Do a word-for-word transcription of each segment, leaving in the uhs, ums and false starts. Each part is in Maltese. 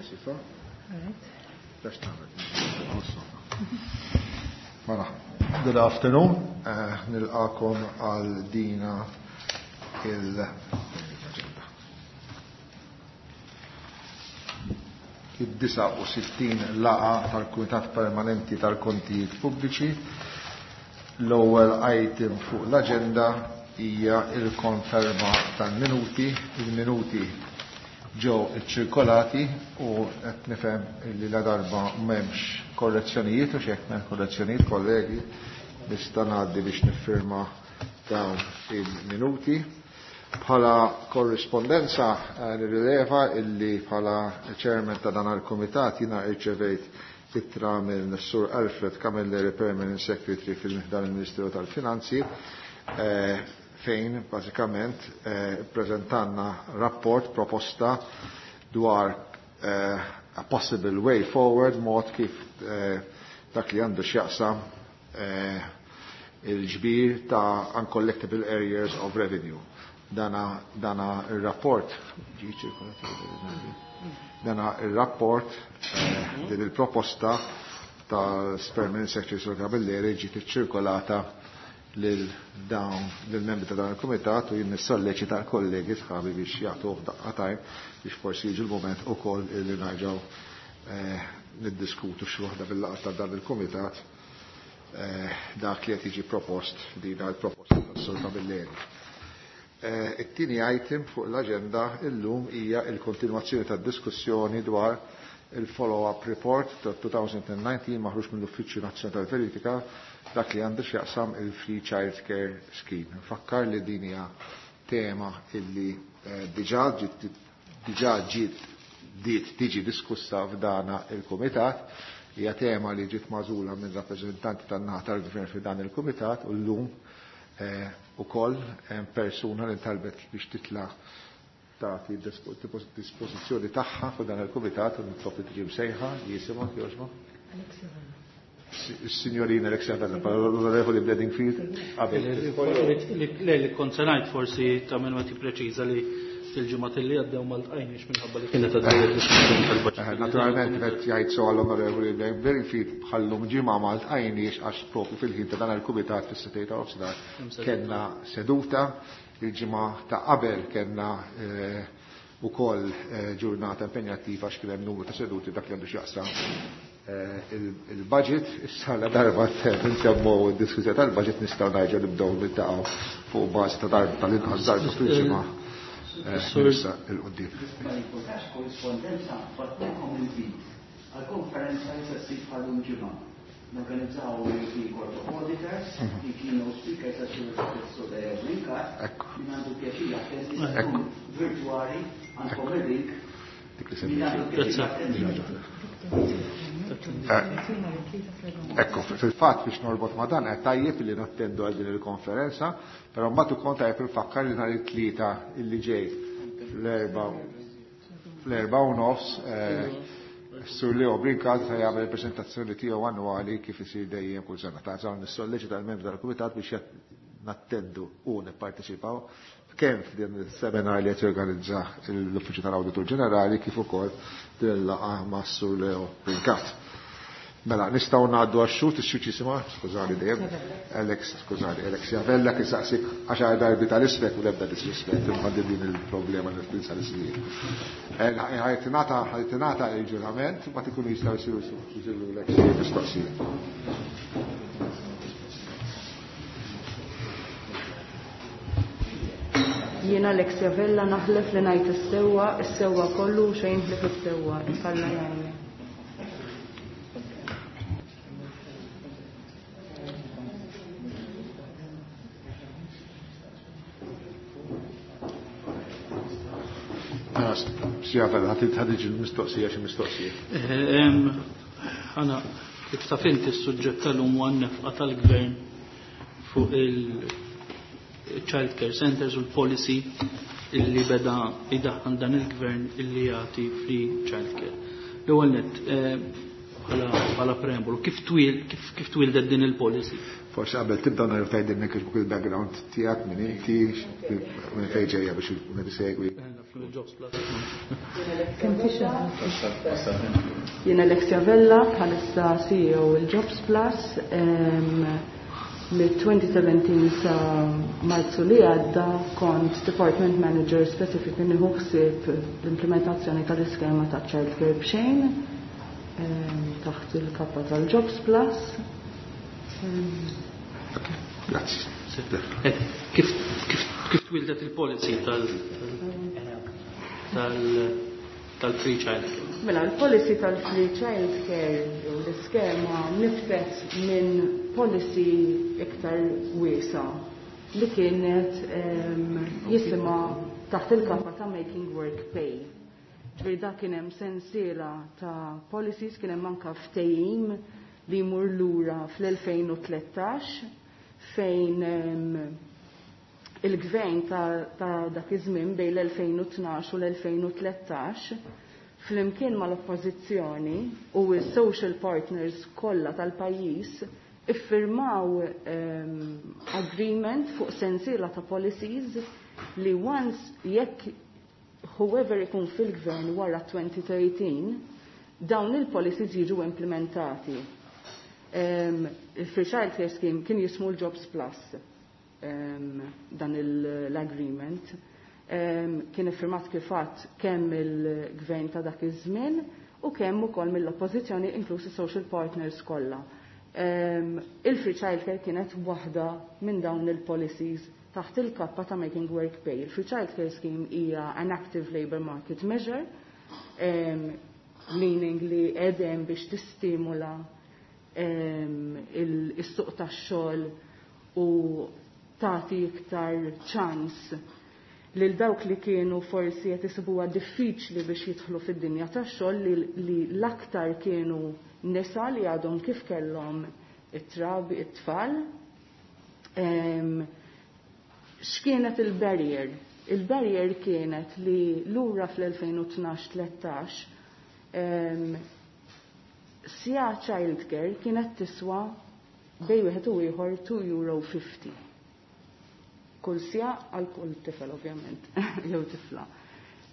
Sifa. Mela, good afternoon. Eh, nilqakom għal dina il id-disgħa u sittin laqa tal-Kumitat Permanenti tal-Kontijiet Pubbliċi. L-ewwel item fuq l-aġenda hija il-konferma tal-minuti. Il-minuti ġew iċċirkolati u qed nifhem li la darba m'hemmx korrezzjonijiet u x'hekk m'hemm korrezzjonijiet, kollegi, nista' ngħaddi biex niffirma dawn il-minuti. Bħala korrispondenza eh, nirrileva illi bħala chairman ta' dan il-kumitat jiena rċevejt ittra minn Sur Alfred Camilleri, Permanent Secretary fil-dan il-Ministeru tal-Finanzi, eh, fejn bażikament eh, preżentanna rapport proposta dwar a possible way forward, mod kif dak li għandu x'jaqsam il-ġbir ta' uncollectible areas of revenue. Dana, dana il-rapport, dana il-rapport, eh, din il-proposta tal-Permanent Secretary Sur Camilleri ġiet iċċirkolata lil dawn lil membri ta' dan il-kumitat u jien nissolleċita l-kollegi sħabi biex jagħtuh daqqa tajn biex forsi jiġi l-mument ukoll li nerġgħu eh, niddiskutu xi waħda bil-laqgħa ta' dan il-kumitat eh, dak li qed jiġi propost din il-proposta tas-Sur Camilleri. It-tieni item fuq l-aġenda illum hija l-kontinwazzjoni tad-diskussjoni dwar il-follow-up report ta' twenty nineteen maħruġ mill-Uffiċċju Nazzjonali tal-Verifika dak li għandu x'jaqsam il-Free Child Care Scheme. Fakkar li din hija tema illi eh, diġà ġiet diġà ġiet diet tiġi diskussa f'dana il-kumitat, hija tema li ġiet magħżula minn rappreżentanti tan-naħa tal-gvern f'dan il-kumitat u llum eh, ukoll hemm persuna li talbet biex titla' tagħti dispożizzjoni tagħha fuq dan il-kumitat u nitlob li tiġi msejħa jisimha jogħġbu. Is-Signorina Alexia Vella, l-Onorevoli Bedingfield. Qabel. Le, li kont se ngħid forsi ta' minn ma tippreċiża li il-ġimgħat li għaddew ma ltqajniex minħabba li kienet għaddejja diskussjoni tal-budget. Eh, Naturalment qed jgħid so għall-Onorevoli Bedingfield bħallum ġimgħa ma ltqajniex għax propju fil-ħin ta' dan il-kumitat fis-sitta ta' nofsinhar kellna seduta, il-ġimgħa ta' qabel kellna eh, ukoll eh, ġurnata impenjattiva għax kien hemm numru ta' seduti dak li għandu x'jaqsam eh, il-budget. Issa la darba nsemmu d-diskussjoni tal-budget nistgħu nerġgħu nibdew niltaqgħu fuq bażi ta' darba tal-inqas darba fil-ġimgħa eh, Sur- issa 'l quddiem. Ma jimpurtax korrispondenza bagħtilkom invit għal-konferenza li se ssir bħalum ġimgħa. Norganizzaw il-European Court of Auditors, il-keynote speaker sa xi professor Leo Brincat, Ekku. min għandu pjaċir jattendi se Ekku. tkun virtuali għandkom il-link. Dik li Min semmejt. għandu pjaċir jattendi. Ekku, fil-fatt biex norbot ma dan, qed tajjeb li nattendu għal din il-konferenza, però mbagħad ukoll tajjeb infakkar li nhar it-tlieta illi ġej fl-erba fl-erba u nofs eh, Sur Leo Brincat se jagħmel il-preżentazzjoni tiegħu annwali kif isir dejjem kull sena. Ta' żgħar nissolleċita l-membri tal-kumitat biex jat- nattendu u nipparteċipaw kemm f'din is-seminar li qed jorganizza l-Uffiċċju tal-Awditur Ġenerali kif ukoll din il-laqgħa ma' Sur Leo Brincat. Mela, nistgħu ngħaddu għax-xhud, ix-xhud jisimha, skużani dejjem, Alex, skużani, Alex Javella kien saqsik għaxar darbi tal-ismek u l-ebda disrispett imma din il-problema li tinsa l-ismijiet. Ħa tingħata ħa tingħata il-ġurament ma tikunu jistgħu jsiru jsiru lek xi mistoqsijiet. Jiena Alexia Vella naħlef li ngħid is-sewwa, is-sewwa kollu u xejn ħlief is-sewwa, Alla jgħinni. Mela, Sija Vella, ħa tiġi l-mistoqsija xi mistoqsija. Għana, kif taf inti s-suġġett tal-lum huwa n-nefqa tal-gvern fuq il-child care centers u l-policy illi beda idaħħan dan il-gvern illi jagħti free child care. L-ewwel nett, eh, bħala bħala preambolu, kif twil kif kif twildet din il-policy? Forsi qabel tibda nhar tgħidilna kif il-background tiegħek, min inti, minn fejn ġejja biex min isegwi. Mill-Jobs Plus. Jien Alexia Vella, bħalissa C E O il-Jobs Plus. Mid-elfejn u sbatax sa Marzu li għadda kont Department Manager specific nieħu ħsieb l-implementazzjoni tal-iskema ta' Childcare b'xejn taħt il-kappa tal-Jobs Plus. Grazzi. Eh, kif kif kif twildet il-policy tal tal tal-free childcare? Mela, il-policy tal-free child care jew l-iskema niftet minn policy iktar wiesa li kienet em, jisimha taħt il-kappa ta' Making Work Pay. Ġifieri da kien hemm sensiela ta' policies, kien hemm anka ftehim li jmur lura fl-elfejn u tlettax fejn em, il-gvern ta', ta dak iż-żmien bejn l-elfejn u tnax u l-elfejn u tlettax flimkien mal-oppożizzjoni u s-social partners kollha tal-pajjiż iffirmaw um, agreement fuq sensiela ta' policies li once jekk whoever ikun fil-gvern wara elfejn u tlettax, dawn il-policies jiġu implementati. Um, Il-Free Child Care Scheme kien jismu l-Jobs Plus, um, dan l-agreement. Um, kien iffirmat kif għedt kemm il-gvern ta' dak iż-żmien u kemm ukoll mill-oppożizzjoni, inklusi social partners kollha. Um, Il-Free Child Care kienet waħda minn dawn il-policies taħt il-kappa ta' Making Work Pay. Il-Free Child Care Scheme hija an active labor market measure, um, meaning li edem biex tistimula um, il-suq tax-xogħol u tagħti iktar ċans lil dawk li kienu forsi qed isibuha diffiċli biex jidħlu fid-dinja tax-xogħol, li, li l-aktar kienu nisa li għadhom kif kellhom it-trabi, it-tfal. Um, X'kienet il-barrier? Il-barrier kienet li lura fl-elfejn u tnax tlettax um, siegħa childcare kienet tiswa bejn wieħed u ieħor two euro fifty. Kull siegħa għal kull tifel ovvjament, jew tifla.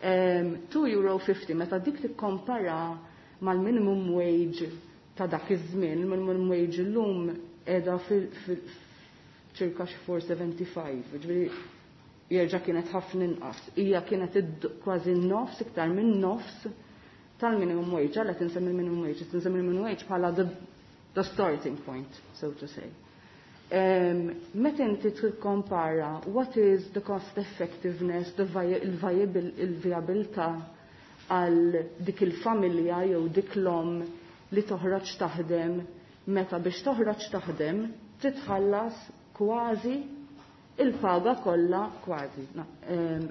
Um, two euro fifty, meta dik tikkompara mal-minimum wage ta' dak iż-żmien, il-minimum wage illum qiegħda fil ċirka xi four seventy-five, ġifieri jerġa' kienet ħafna inqas. Hija kienet kważi nofs, iktar minn nofs tal-minimum wage. Għalhekk insemmi il-minimum wage, insemmi il-minimum wage bħala the, the starting point, so to say. Um, meta inti tikkompara what is the cost effectiveness, the il-viabilità għal dik il-familja jew dik l-om li toħroġ taħdem, meta biex toħroġ taħdem titħallas kważi il-paga kollha, kważi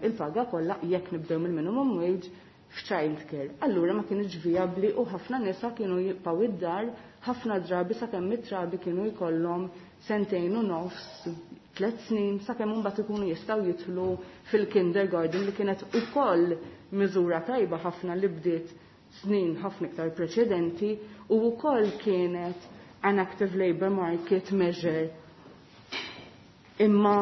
il-paga kollha jekk nibdew mill-minimum wage f'childcare. Allura ma kienx viabli u ħafna nisa kienu jibqgħu id-dar ħafna drabi sakemm it-trabi kienu jkollhom sentejn u nofs, tliet snin, sakemm imbagħad ikunu jistgħu jidħlu fil-kindergarten, li kienet ukoll miżura tajba ħafna li bdiet snin ħafna iktar preċedenti u wkoll kienet an active labor market measure, imma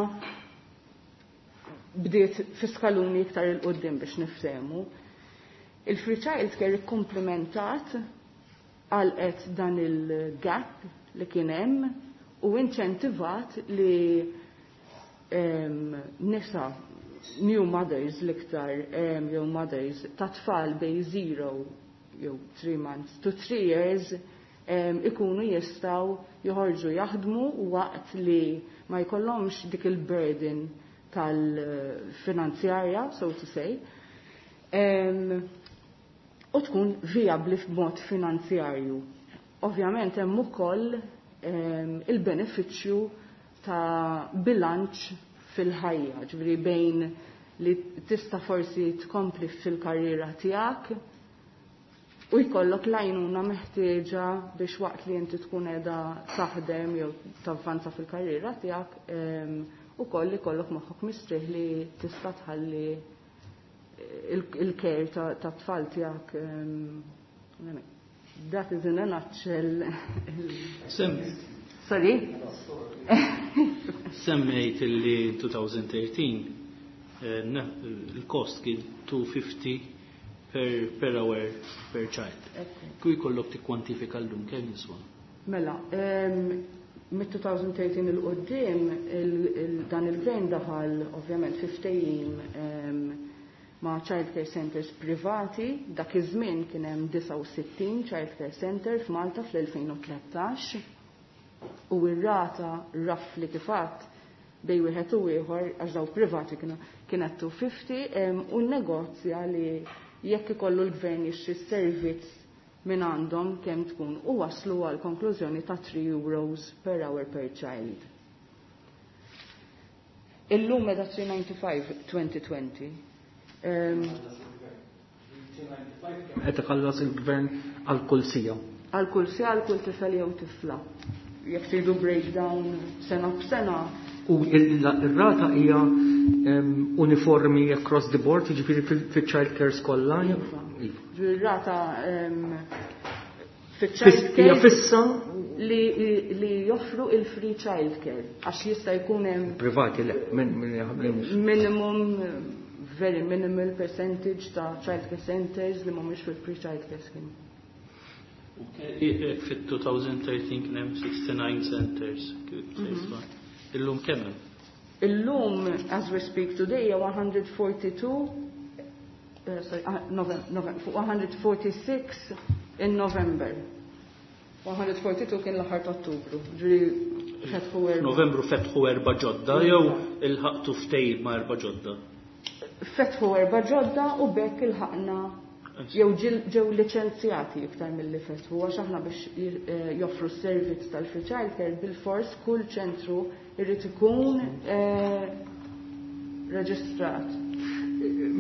bdiet fiskaluni iktar 'il quddiem biex niftehmu. Il-free child care ikkomplementat, għalqet dan il-gap li kien hemm u inċentivat li um, nisa, new mothers l-iktar, um, jew mothers ta' tfal bejn zero jew three months to three years um, ikunu jistgħu joħorġu jaħdmu waqt li ma jkollhomx dik il-burden tal-finanzjarja, so to say, um, u tkun viabli f'mod finanzjarju. Ovvjament hemm ukoll um, il-benefiċċju ta' bilanċ fil-ħajja, ġifieri bejn li tista' forsi tkompli fil-karriera tiegħek u jkollok l-għajnuna meħtieġa biex waqt li inti tkun qiegħda taħdem jew tavvanza fil-karriera tiegħek ukoll ikollok moħħok mistrieħ li tista' tħalli il-care ta' tfal tiegħek. That is in a nutshell. Sem. Sorry? Semmejt li elfejn u tlettax Il-cost kien two fifty per, per hour per child. Kieku jkollok tikkwantifika llum, kemm jiswa? Mela, mit-elfejn u tlettax 'il quddiem dan il-gvern daħal ovvjament fi ftehim ma' child care centers privati. Dak iż-żmien kien hemm disgħa u sittin child care center f'Malta fl-elfejn u tlettax u r-rata roughly kif għedt bejn wieħed u ieħor, għax daw privati kienu, kienet two fifty, u negozja li jekk ikollu l-gvern jixtri servizz minn għandhom kemm tkun, u waslu għal konklużjoni ta' three euros per hour per child. Illum meta three ninety-five twenty twenty. Qed iħallas il-gvern għal kull siegħa? Għal kull siegħa, għal kull tifel jew tifla. Jekk tridu breakdown sena b'sena. U il-rata hija uniformi across the board, jiġifieri fil-child care kollha? Iva. Ir-rata fil-child care fissa? li, li joffru il-free child care, għax jista' jkun hemm Privati le, minimum, very minimal percentage ta' child care centers li mhumiex fil-free child care scheme. Fit-elfejn u tlettax kien hemm sixty-nine centers. Illum kemm hemm? Illum, as we speak today, one hundred forty-two, uh, sorry, uh, November, November, one hundred forty-six in November. one hundred forty-two kien l-aħħar ta' Ottubru. Ġifieri fetħu erba. Novembru fetħu erba' ġodda jew ilħaqtu ftehim ma' erba' ġodda? Fetħu erba' ġodda u b'hekk ilħaqna jew ġew liċenzjati iktar milli fetħu, għax aħna biex eh, joffru s-servizz tal-free child care bil-fors kull ċentru irrid ikun eh, reġistrat.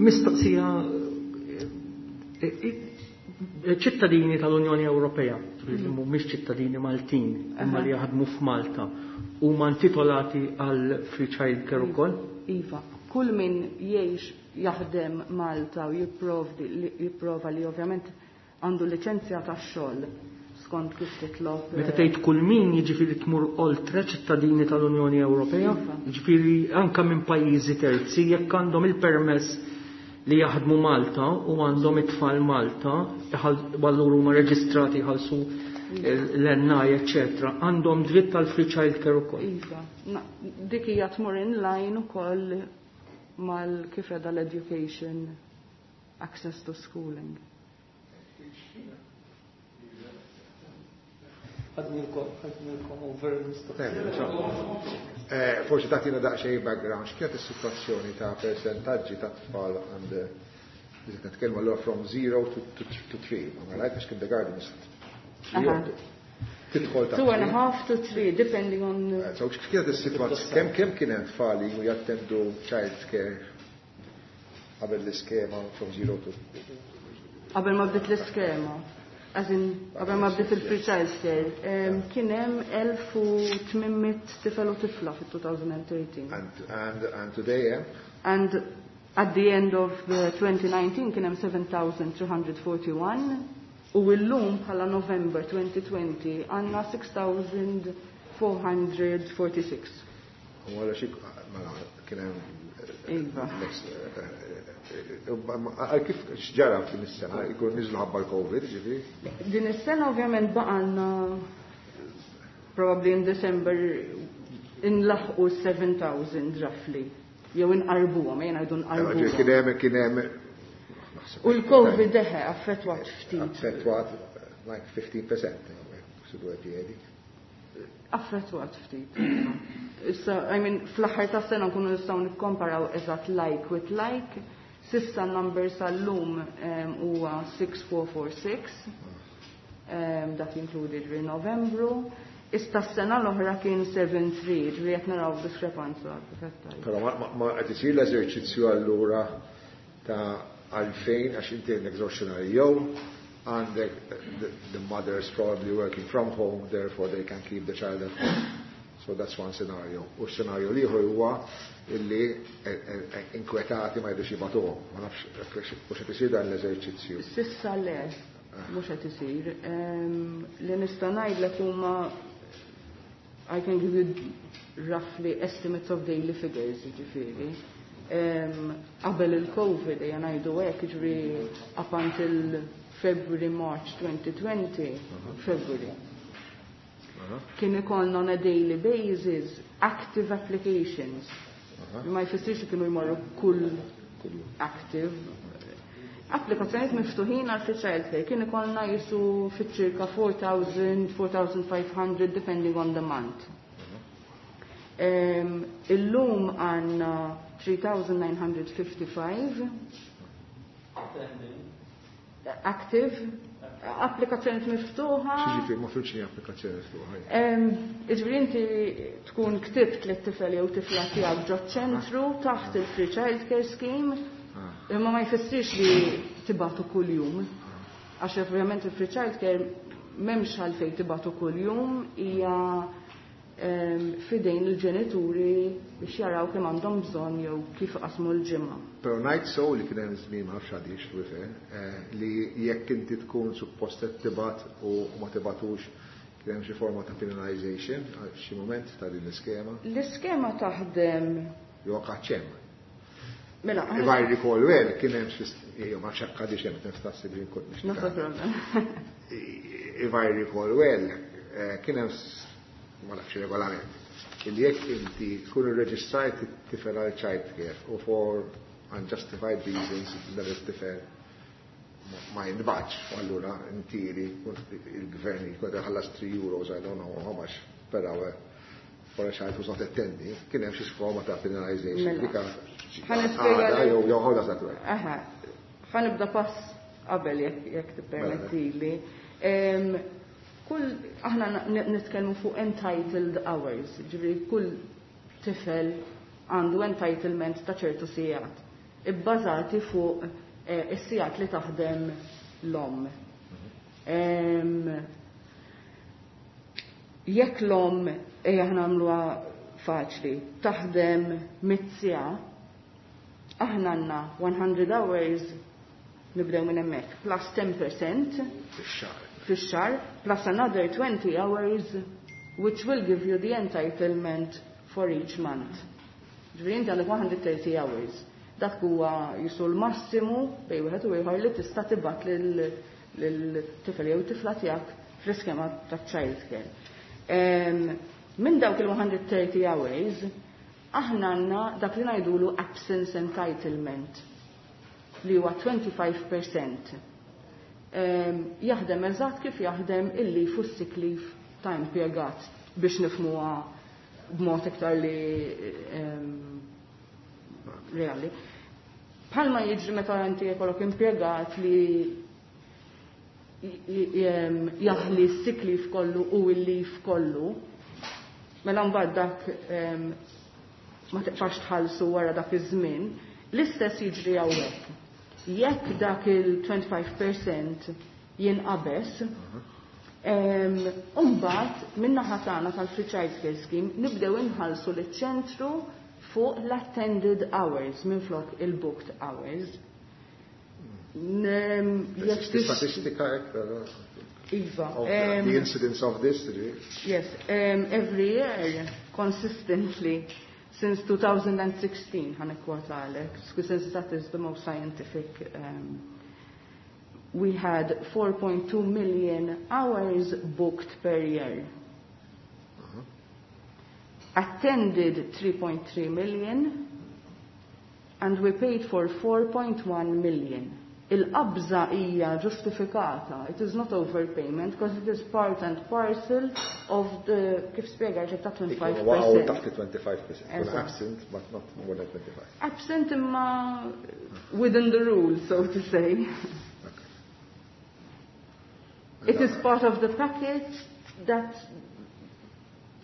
Mistoqsija, eh, ċittadini tal-Unjoni Ewropea, li mhumiex ċittadini Maltin, imma li jaħdmu f'Malta, huma intitolati għal free child care ukoll? Iva, kull min jgħix, jaħdem Malta u jipprovdi jipprova li ovvjament għandu liċenzja tax-xogħol skont kif titlob. Meta tgħid kull min, jiġifieri tmur oltre ċittadini tal-Unjoni Ewropea, Iva. jiġifieri anka minn pajjiżi terzi, jekk għandhom il-permess li jaħdmu Malta u għandhom it-tfal Malta, allura huma reġistrati, jħallsu l-N I, eccetera, għandhom dritt tal-free child care ukoll. Iva, dik hija tmur in line ukoll mal kif qiegħda l-education access to schooling. Ħadnilkom over. Eh, forsi tagħtina daqsxejn background, x'kienet is-sitwazzjoni ta' persentaġġi ta' tfal għand li nitkellmu allura from zero to, to, to three, ma right, għax kindergarten is tidħol ta' Two and a half to three, depending on. Eh, so x'kienet is-sitwazzjoni, kemm kemm kien hemm tfal li jattendu child care qabel l-iskema from zero to Qabel ma bdiet l-iskema. As in, qabel ma bdiet il-free child care, kien hemm elf u tmien mitt tifel u tifla fit-elfejn u tlettax. And, and, and today, yeah? And at the end of the twenty nineteen kien hemm seven thousand three hundred forty-one u llum bħala November twenty twenty għandna six thousand four hundred forty-six. U għala xi mela kien hemm Iva. Għal kif x'ġara f'din is-sena? Ikun niżlu ħabba l-Covid, ġifieri? Din is-sena ovvjament baqgħalna probably in December inlaħqu seven thousand roughly. Jew inqarbuhom, jien ngħidu nqarbuhom. Kien hemm kien hemm U l-Covid deħe affettwat ftit. Affettwat like fifteen percent, sidu għed jgħidi. Affettwat ftit. Issa, I mean, fl-aħħar ta' sena nkunu nistgħu nikkomparaw eżatt like with like. S'issa number sal-lum huwa six thousand four hundred forty-six. Dak jinkludi ġri Novembru. Issa s-sena l-oħra kien seven three, ġri qed naraw diskrepanza. Però ma qed isir l-eżerċizzju allura ta' għalfejn, għax inti għandek żewġ xenarji, jew għandek the, the mothers probably working from home, therefore they can keep the child at home. So that's one scenario. U scenario l-ieħor huwa illi inkwetati ma jridux jibagħtuhom. Ma nafx mhux qed isir dan l-eżerċizzju. S'issa le, mhux qed isir. Li nista' ngħidlek huma, I can give you roughly estimates of daily figures, ġifieri. Qabel il-Covid, ejja ngħidu hekk, jiġri up until February, March twenty twenty, February. Kien ikollna on a daily basis active applications. Ma jfissirx li kienu jmorru kull active. Applikazzjonijiet miftuħin għal free childcare kien ikollna jisu fiċ-ċirka four thousand, four thousand five hundred, depending on the month. Um, illum għandna three thousand nine hundred fifty-five active applikazzjonijiet miftuħa. X'jiġifieri, ma fhimtx applikazzjoni miftuħa? Iġifieri inti tkun ktibt li t-tifel jew tifla tiegħek ġo ċentru taħt il-Free Child Care Scheme, imma ma jfissirx li tibagħtu kuljum. Għax ovvjament il-Free Child Care m'hemmx għalfejn tibagħtu kuljum, hija fidejn il-ġenituri biex jaraw kemm għandhom bżonn jew kif qasmu l-ġimgħa. Però ngħid so li kien hemm żmien, ma nafx għadix eh, li jekk inti tkun suppost qed tibgħat u ma tibgħatux, kien hemm xi forma ta' penalization għal xi moment ta' din l-iskema. L-iskema taħdem Jew hemm. Mela, If I recall well, kien hemm xi, ma nafx għadix hemm, niftassi biex nkun No problem. If I recall well, eh, kien hemm, ma nafx, regolament illi jekk inti tkun irreġistrajt it-tifel għal child care u for unjustified reasons dan it-tifel ma jintbagħatx, u allura intiri il-gvern jkun ħallas three euros, I don't know how much per hour, for a child who's not attending, kien hemm xi forma ta' penalization. Mela. Dika Ħa nispjega għada jew jew how does that work? Aha, ħa nibda pass qabel, jekk jekk tippermettili. Em, Kull aħna n- nitkellmu fuq entitled hours, ġifieri kull tifel għandu entitlement ta' ċertu sigħat, ibbażati fuq eh, is-sigħat li taħdem l-om. Em, Jekk l-om, ejja nagħmluha faċli, taħdem mitt siegħa, aħna għandna one hundred hours, nibdew minn hemmhekk, plus ten percent Fix-xahar. Fix-xahar, plus another twenty hours, which will give you the entitlement for each month. Ġifieri inti għandek one hundred thirty hours. Dak huwa jisu l-massimu bejn wieħed u ieħor li tista' tibgħat lil-tifel jew tifla tiegħek fl-iskema ta' child care. Em, Minn dawk il-one hundred thirty hours, aħna għandna dak li ngħidulu absence entitlement, li huwa twenty-five percent. Em, Jaħdem eżatt kif jaħdem il-leave u sick leave ta' impjegat, biex nifhmuha b'mod iktar li em, reali. Bħalma jiġri meta inti jkollok impjegat li jaħli s-sick leave kollu u il-leave kollu, mela mbagħad dak em, ma tibqax tħallsu wara dak iż-żmien, l-istess jiġri hawnhekk. Jekk dak il-twenty-five percent jinqabeż, em, Umbagħad min-naħa tagħna tal-Free Child Care Scheme nibdew inħallsu liċ-ċentru fuq l-attended hours minflok il-booked hours. Nem- jekk tix- Statistika hekk però, Iva. of the, em, the incidence of this, ġifieri. Yes, um, every year, consistently, since twenty sixteen, ħa nikkwotalek, since that is the most scientific, um, we had four point two million hours booked per year. Attended three point three million, and we paid for four point one million. Il-qabża hija ġustifikata. It is not overpayment because it is part and parcel of the, kif spjega ta' Waqgħu twenty-five percent. taħt il-twenty-five percent. Kun Eżatt. absent, but not more than twenty-five. Absent imma within the rules, so to say. Okay. It is part of the package that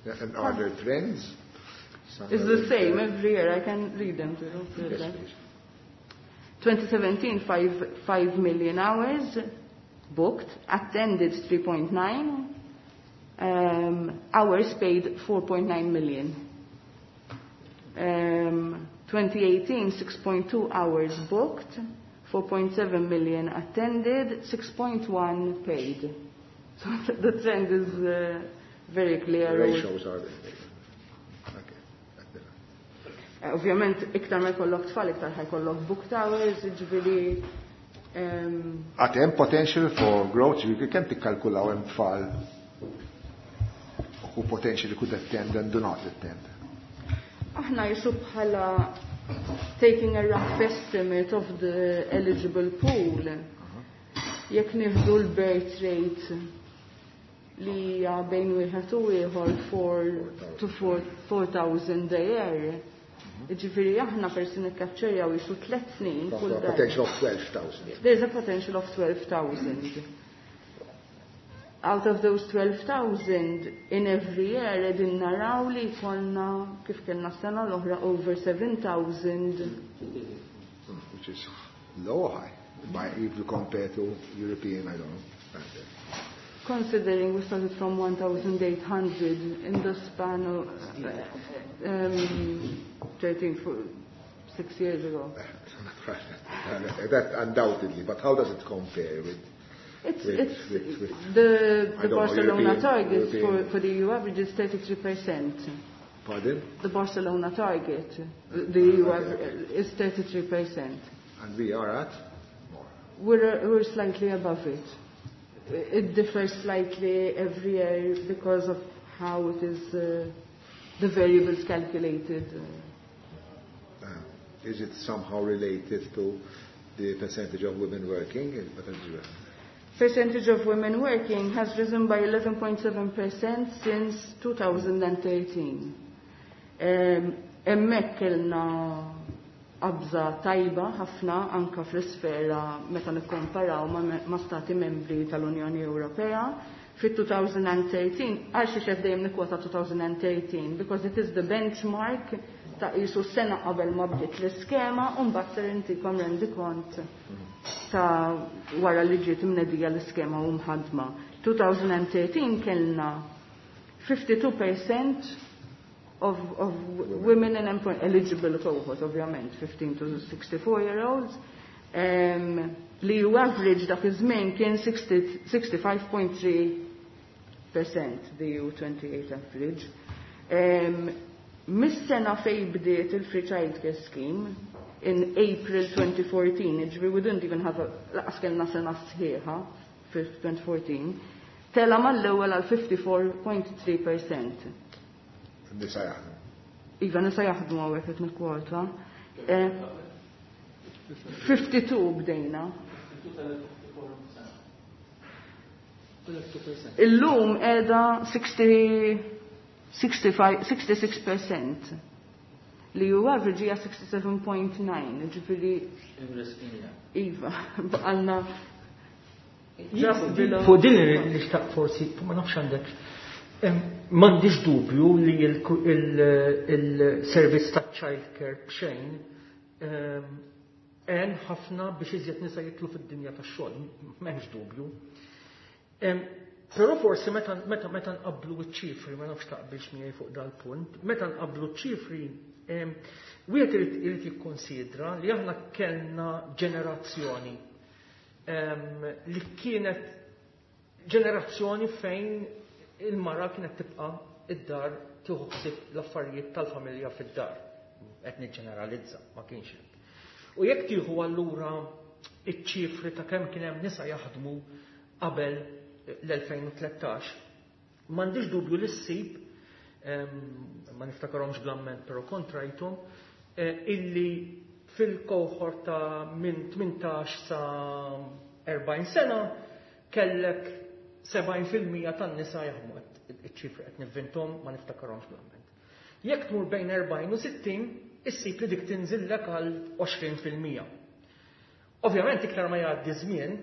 Yeah, and are there trends? Is the same every year. I can read them to you. Yes, please. twenty seventeen, five, five million hours booked, attended three point nine, um, hours paid four point nine million. Um, twenty eighteen, six point two hours booked, four point seven million attended, six point one paid. So the trend is uh, very clear. The ratios are there. Okay. Eh, ovvjament, iktar ma jkollok tfal, iktar ħa jkollok booked hours, ġifieri. Għad hemm potential for growth, ġifieri kemm tikkalkulaw hemm tfal who potentially could attend and do not attend? Aħna jisu bħala taking a rough estimate of the eligible pool, jekk nieħdu l-birth rate li hija bejn wieħed u ieħor four to four thousand a year. Ġifieri aħna persi nikkaċċerjaw jisu tliet snin kull A darba. Potential of twelve thousand. There's a potential of twelve thousand. Out of those twelve thousand, in every year, qegħdin naraw li jkollna, kif kellna sena l-oħra, over seven thousand. Which is low or high? By, if you compare to European, I don't know, standard. Considering we started from one thousand eight hundred in the span of uh, um, thirteen, four, six years ago. That undoubtedly, but how does it compare with, It's, with, it's with, with the, I the don't know, Barcelona European- target for, European- for the E U average is thirty-three percent. Pardon? The Barcelona target, the E U Okay. average is thirty-three percent. And we are at more. We're, we're slightly above it. It differs slightly every year because of how it is, uh, the variables calculated. Uh, is it somehow related to the percentage of women working? Percentage Percentage of women working has risen by eleven point seven percent since twenty thirteen. Um, Hemmhekk kellna qabża tajba ħafna anka fl-isfera meta nikkomparaw ma, ma stati membri tal-Unjoni Ewropea. Fit-twenty thirteen, għal xi xef dejjem nikkwota twenty thirteen, because it is the benchmark ta' jisu sena qabel ma bdiet l-iskema, u mbagħad ser intikom rendikont ta' wara li ġiet imnedija l-iskema u mħadma. twenty thirteen kellna fifty-two percent of, of women in employment, eligible cohort, ovvjament, fifteen to sixty-four year olds, um, li ju average dak iż-żmien kien sixty-five point three percent, the E U twenty-eight average. Um, Mis-sena fej bdiet il-Free Childcare Scheme in April twenty fourteen, ġifieri we didn't even have a, lanqas kellna sena sħiħa fil-twenty fourteen, tela mal-ewwel għal fifty-four point three percent. Nisa jaħdmu. Iva, nisa jaħdmu hawnhekk qed nikkwota. Eh, fifty-two bdejna. Illum qiegħda sixty, sixty-five, sixty-six percent li ju average hija sixty-seven point nine, ġifieri iva, baqalna just below. Fuq din li xtaq forsi, ma nafx għandek, em, m'għandix dubju li il-servizz ta' child care b'xejn em, għen ħafna biex iżjed nisa jidħlu fid-dinja tax-xogħol, m'hemmx dubju. Em, Però forsi meta meta meta nqablu ċ-ċifri, ma nafx taqbilx miegħi fuq dal-punt, meta nqablu ċ-ċifri, em, wieħed irid irid jikkonsidra li aħna kellna ġenerazzjoni em, li kienet ġenerazzjoni fejn il-mara kienet tibqa' id-dar tieħu ħsieb l-affarijiet tal-familja fid-dar. Qed niġġeneralizza, ma kienx hekk. U jekk tieħu allura iċ-ċifri ta' kemm kien hemm nisa jaħdmu qabel l-elfejn u tlettax, m'għandix dubju li ssib, em, ma niftakarhomx bl-amment però kontrajthom, eh, illi fil-kohort ta' minn tmintax sa erbgħin sena kellek sebgħin fil-mija tan-nisa jaħdmu. Iċ-ċifri qed nivvintom, ma niftakarhomx bl-amment. Jekk tmur bejn erbgħin u sittin, issib li dik tinżillek għal għoxrin fil-mija. Ovvjament iktar ma jgħaddi żmien,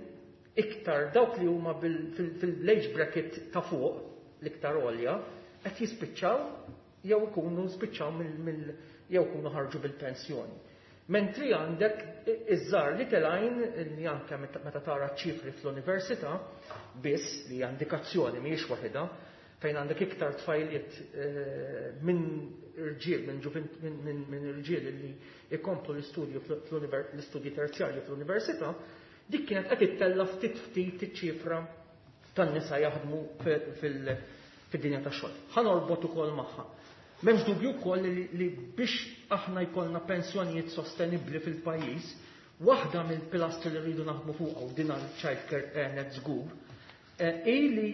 iktar dawk li huma fil-age bracket ta' fuq, l-iktar għolja, qed jispiċċaw jew ikunu spiċċaw mill jew ikunu ħarġu bil-pensjoni. Mentri għandek iż-żgħar li telgħin li anke meta tara ċifri fl-università biss li indikazzjoni mhijiex waħedha, fejn għandek iktar tfajliet eh, minn irġiel minn minn irġiel li ikomplu l-istudju l-istudji terzjarju fl-università, dik kienet qed ittella ftit ftit iċ-ċifra tan-nisa jaħdmu fid-dinja tax-xogħol. Ħa norbot ukoll magħha. M'hemmx dubju wkoll li, li biex aħna jkollna pensjonijiet sostenibbli fil-pajjiż, waħda mill-pilastri li rridu naħdmu fuqha u din għal-child care għenet żgur, eh, hi li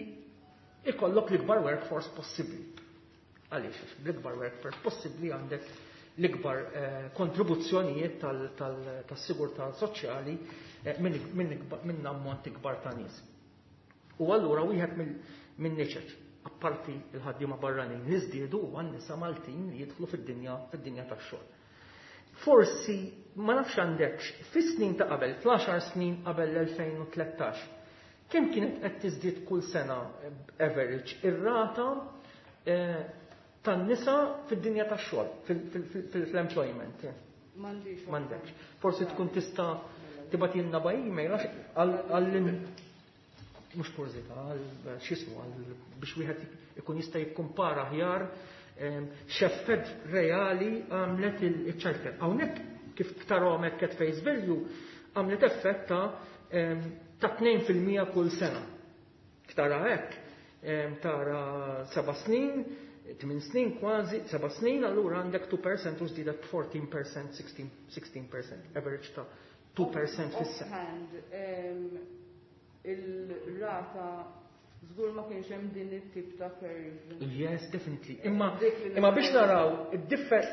ikollok l-ikbar workforce possibbli. Għaliex, bl-ikbar workforce possibbli għandek l-ikbar eh, kontribuzzjonijiet tas-sigurtà soċjali eh, minn ammont ikbar ta' nies. U allura wieħed minn niċeċ, apparti il-ħaddiema barranin li żdiedu huwa n-nisa Maltin li jidħlu fid-dinja fid-dinja tax-xogħol. Forsi ma nafx għandekx, fis-snin ta' qabel, fl-għaxar snin qabel l-elfejn u tlettax, kemm kienet qed tiżdied kull sena average ir-rata eh, tan-nisa fid-dinja tax-xogħol, fil-employment? M'għandix. M'għandekx. Forsi tkun tista' tibgħatilna by email għax għal mhux kurżità, għal x'ismu, għal biex wieħed ikun jista' jikkumpara aħjar x'effett reali għamlet il-childcare. Hawnhekk kif tarahom hekk at face value għamlet effett ta' ta' tnejn fil-mija kull sena. Tara hekk, tara seba' snin, tmien snin kważi, seba' snin, allura għandek two percent u żdiedet fourteen percent, sixteen percent, average ta' two percent fis-sena. Offhand, il-rata żgur ma kienx hemm din it-tip ta' curve. Yes, definitely. Imma Dik li imma biex naraw id-differ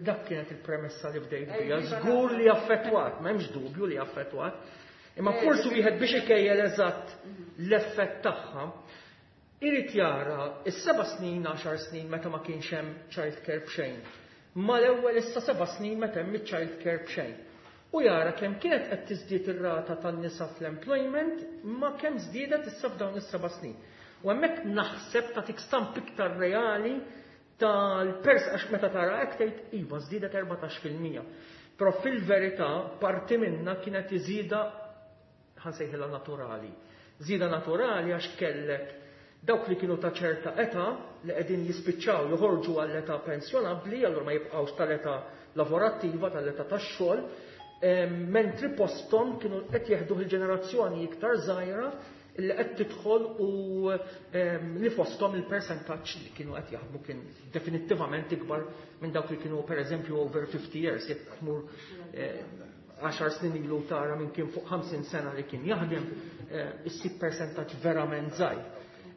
dak kienet il-premessa li bdejt Eh, bija, iva, żgur naf. li affettwat, m'hemmx dubju li affettwat. Imma Eh, forsi dik wieħed biex ikejjel eżatt l-effett tagħha, irid jara is-seba' snin, għaxar snin meta ma kienx hemm child care b'xejn. Ma l-ewwel issa seba' snin meta hemm child care b'xejn. U jara kemm kienet qed tiżdied ir-rata tan-nisa fl-employment ma kemm żdiedet issa f'dawn is-seba' snin. U hemmhekk naħseb tagħtik stamp iktar reali tal-pers għax meta tara hekk tgħid iva żdiedet erbatax fil-mija. Però fil-verità parti minna kienet iżida ħansejħilha naturali. Żieda naturali għax kellek dawk li kienu ta' ċerta età li qegħdin jispiċċaw joħorġu għall-età pensjonabbli, allura ma jibqgħux tal-età lavorattiva, tal-età tax-xogħol, em, mentri posthom kienu qed jeħduh il-ġenerazzjoni iktar żgħira li qed tidħol u, em, li fosthom il-persentaġġ li kienu qed jaħdmu kien definittivament ikbar minn dawk li kienu pereżempju over fifty years, jekk tmur, eh, għaxar snin ilu tara minn kien fuq ħamsin sena li kien jaħdem, eh, issib persentaġġ verament żgħir.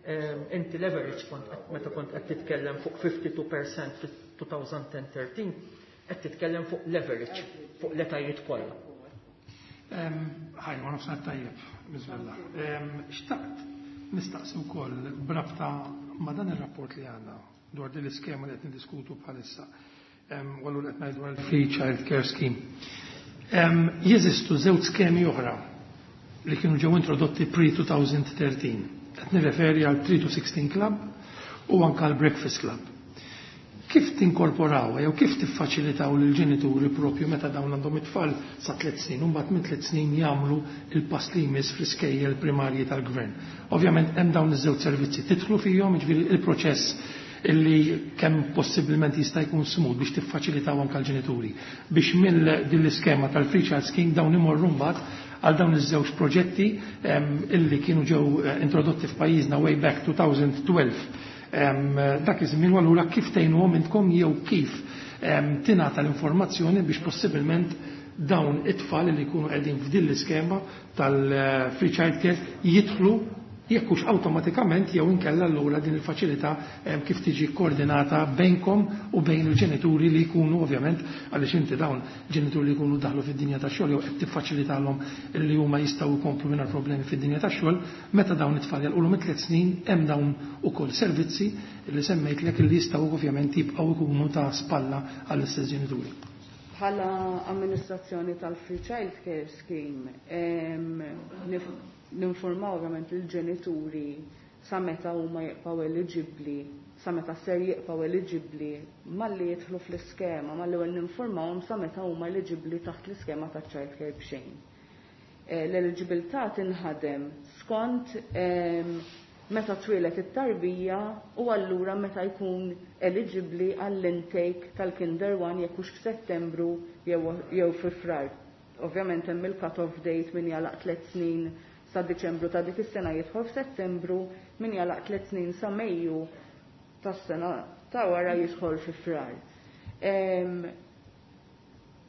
Em, inti leverage kont qed, meta kont qed titkellem fuq fifty-two percent fit-two thousand and thirteen, qed titkellem fuq leverage, fuq l-etajiet kollha. Em, Ħaj, ma nafx tajjeb, Miżvella. Em, xtaqt nistaqsi wkoll b'rabta ma' dan ir-rapport li għandna dwar din l-iskema li qed niddiskutu bħalissa. Em, u allura qed ngħidu għal Free Child Care Scheme. Em, jeżistu żewġ skemi oħra li kienu ġew introdotti pre-two thousand thirteen. Qed nirreferi għal three to sixteen Club u anke għal Breakfast Club. Kif tinkorporaw jew kif tiffaċilitaw lil ġenituri propju meta dawn għandhom it-tfal sa tliet snin u mbagħad minn tliet snin jagħmlu il-pass li jmiss fl-iskejjel primarji tal-gvern. Ovvjament hemm dawn iż-żewġ servizzi tidħlu fihom, jiġifieri il-proċess illi kemm possibilment jista' jkun smooth biex tiffaċilitaw anke l-ġenituri biex mill din l-iskema tal-Free Child Scheme dawn imorru mbagħad għal dawn iż-żewġ proġetti, em, illi kienu ġew, eh, introdotti f'pajjiżna way back two thousand twelve. Em, dak iż-żmien u allura kif tgħinuhom intkom jew kif, em, tingħata l-informazzjoni biex possibilment dawn it-tfal li jkunu qegħdin f'din l-iskema tal-Free Child Care jidħlu jekk hux awtomatikament jew inkella allura din il-faċilità, em, kif tiġi koordinata bejnkom u bejn il-ġenituri li jkunu ovvjament għaliex inti dawn ġenituri li jkunu daħlu fid-dinja tax-xogħol jew qed tiffaċilitalhom li huma jistgħu jkomplu mingħajr problemi fid-dinja tax-xogħol, meta dawn it-tfal jalqulhom it-tliet snin hemm dawn ukoll servizzi li semmejtlek li jistgħu ovvjament jibqgħu jkunu ta' spalla għall-istess ġenituri. Bħala amministrazzjoni tal-Free Child Care Scheme, em, nif-, ninformaw ovvjament il-ġenituri sa meta huma jibqgħu eliġibbli, sa meta ser jibqgħu eliġibbli malli jidħlu fl-iskema, malli ewwel ninformawhom sa meta huma eliġibbli taħt l-iskema ta' child care b'xejn. Eh, l-eliġibilità tinħadem skont, em, meta twieled it-tarbija u allura meta jkun eliġibbli għall-intake tal-Kinder one jekk hux f'Settembru jew, jew fi Frar. Ovvjament hemm il-cut-off date min jalaq tliet snin sa Diċembru ta' dik is-sena jidħol f'Settembru, min jalaq tliet snin sa Mejju tas-sena ta' wara jidħol fi Frar.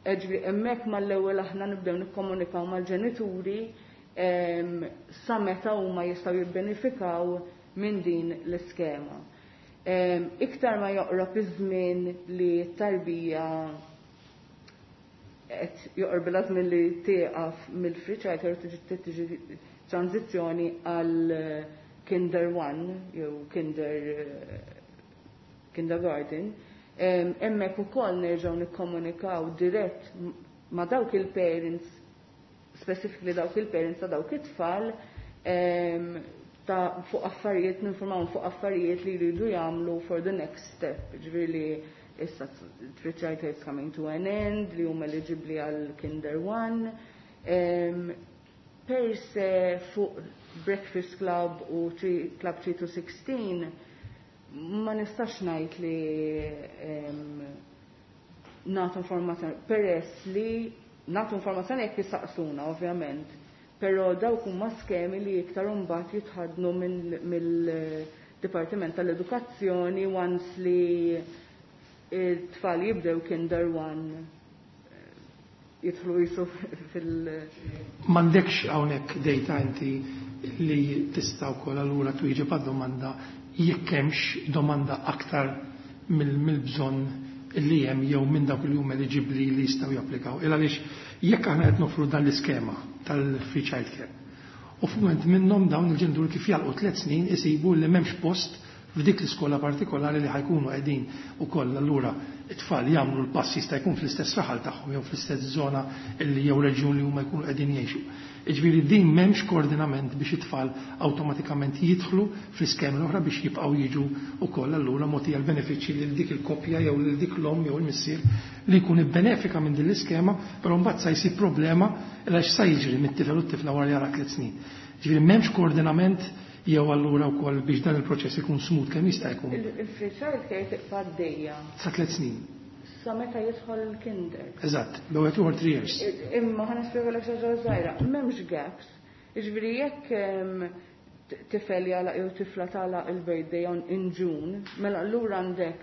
Ġifieri hemmhekk mal-ewwel aħna nibdew nikkomunikaw mal-ġenituri sa meta huma jistgħu jibbenefikaw minn din l-iskema. Iktar ma joqrob iż-żmien li t-tarbija qed joqorbilha żmien li tieqaf mill-free childcare tiġi tiġi tranzizzjoni għal Kinder One jew Kinder Kindergarten, hemmhekk ukoll nerġgħu nikkomunikaw dirett ma' dawk il-parents, specifically dawk il-parents ta' dawk it-tfal, ta' fuq affarijiet, ninformaw fuq affarijiet li jridu jagħmlu for the next step. Ġifieri li issa free childcare is coming to an end, li huma eligibbli għal Kinder One. Per se fuq Breakfast Club u Club three to sixteen ma nistax ngħid li nagħtu informazzjoni, peress li nagħtu informazzjoni jekk jistaqsuna ovvjament, però dawk huma skemi li iktar imbagħad jitħadnu mill-Dipartiment tal-Edukazzjoni once li it-tfal jibdew Kinder One jidħlu jisu fil- M'għandekx hawnhekk data inti li tista' wkoll allura twieġeb għad-domanda jekk hemmx domanda aktar mill-bżonn li hemm jew minn dawk li huma eliġibbli li jistgħu japplikaw. Il għaliex jekk aħna qed nofru dan l-iskema tal-free childcare u f'mument minnhom dawn il-ġenituri kif jalqu tliet snin isibu li m'hemmx post f'dik l-iskola partikolari li ħajkunu qegħdin ukoll allura it-tfal jagħmlu l-pass jista' jkun fl-istess raħal tagħhom jew fl-istess żona li jew reġjun li huma jkunu qegħdin jgħixu. Jiġifieri din m'hemmx koordinament biex it-tfal awtomatikament jidħlu fl-iskemi l-oħra biex jibqgħu jiġu wkoll allura mogħtija l-benefiċċji lil dik il-koppja jew lil dik l-omm jew il-missier li jkun ibbenefika minn din l-iskema, però mbagħad sa jsib problema għax sa jiġri mit-tifel u t-tifla wara li jara tliet snin. Jiġifieri m'hemmx koordinament jew allura wkoll biex dan il-proċess ikun smooth kemm jista' jkun. Il-free childcare tibqa' għaddejja. Sa tliet snin. Sa meta jidħol il-kinder. Eżatt, l-ewwel two or three years. Imma ħa nispjegalek xi ħaġa żgħira, m'hemmx gaps. Jiġifieri jekk tifel jagħlaq jew tifla tagħlaq il-birthday on in June, mela allura għandek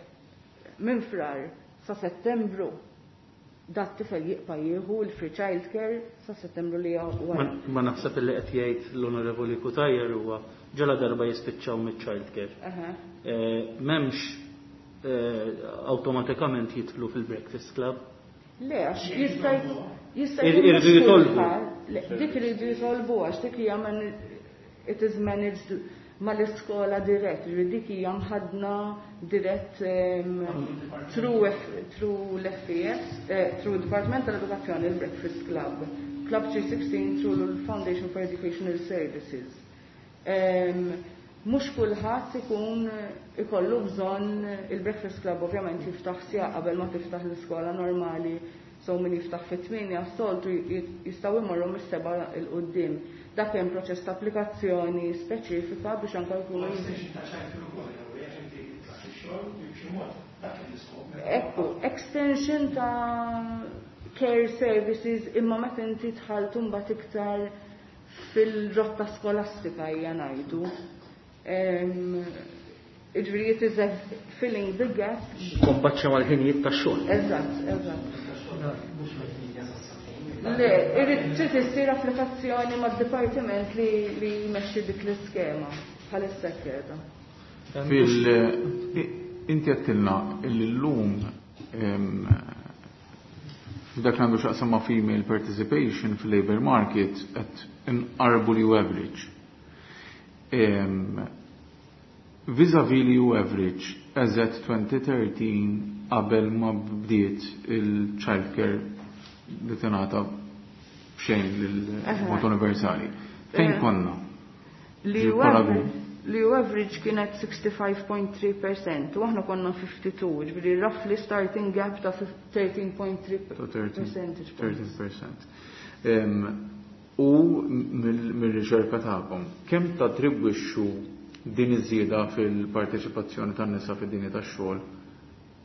minn Frar sa Settembru dat tifel jibqa' jieħu l-free childcare sa Settembru li wara. Ma naħseb li qed jgħid l-Onorevoli Cutajar huwa ġala darba jispiċċaw mill-childcare. M'hemmx awtomatikament jidħlu fil-Breakfast Club. Le, għax jista' jista' Irridu jitolbu. Dik iridu jitolbu għax dik hija it is managed mal-iskola dirett, ġifieri dik hija mħadna dirett through through l-F E S, through Department tal-Edukazzjoni, il-Breakfast Club, Club three sixteen through l-Foundation for Educational Services. Mhux kulħadd ikun ikollu bżonn il-Breakfast Club, ovvjament jiftaħ siegħa qabel ma tiftaħ l-iskola normali, so min jiftaħ fit-tmienja s-soltu jistgħu jmorru mis-seba' 'il quddiem. Dak hemm proċess ta' applikazzjoni speċifika biex anke jkunu. Ekku, extension ta' care services imma meta inti dħalt mbagħad iktar fil-rotta skolastika hija ngħidu. Jiġifieri it is a filling the gap. Kombaċċa mal-ħinijiet tax-xogħol. Eżatt, eżatt. Le, irrid trid issir applikazzjoni mad-dipartiment li li jmexxi dik l-iskema bħalissa qiegħda. Fil inti għedtilna li llum f'dak li għandu x'jaqsam ma' female participation fil-labor market qed inqarbu l average. Vis-a-vis l average as at twenty thirteen qabel ma bdiet il-childcare li tingħata b'xejn lil mod universali. Fejn Eh. konna? Li Ġi paragun. Li average kienet sixty-five point three percent u aħna konna fifty-two, ġifieri roughly starting gap ta' thirteen point three Ta' thirteen percentage points. thirteen percent. Em, U mill- mill-riċerka tagħkom, kemm tattribwixxu din iż-żieda fil-parteċipazzjoni tan-nisa fid-dinja tax-xogħol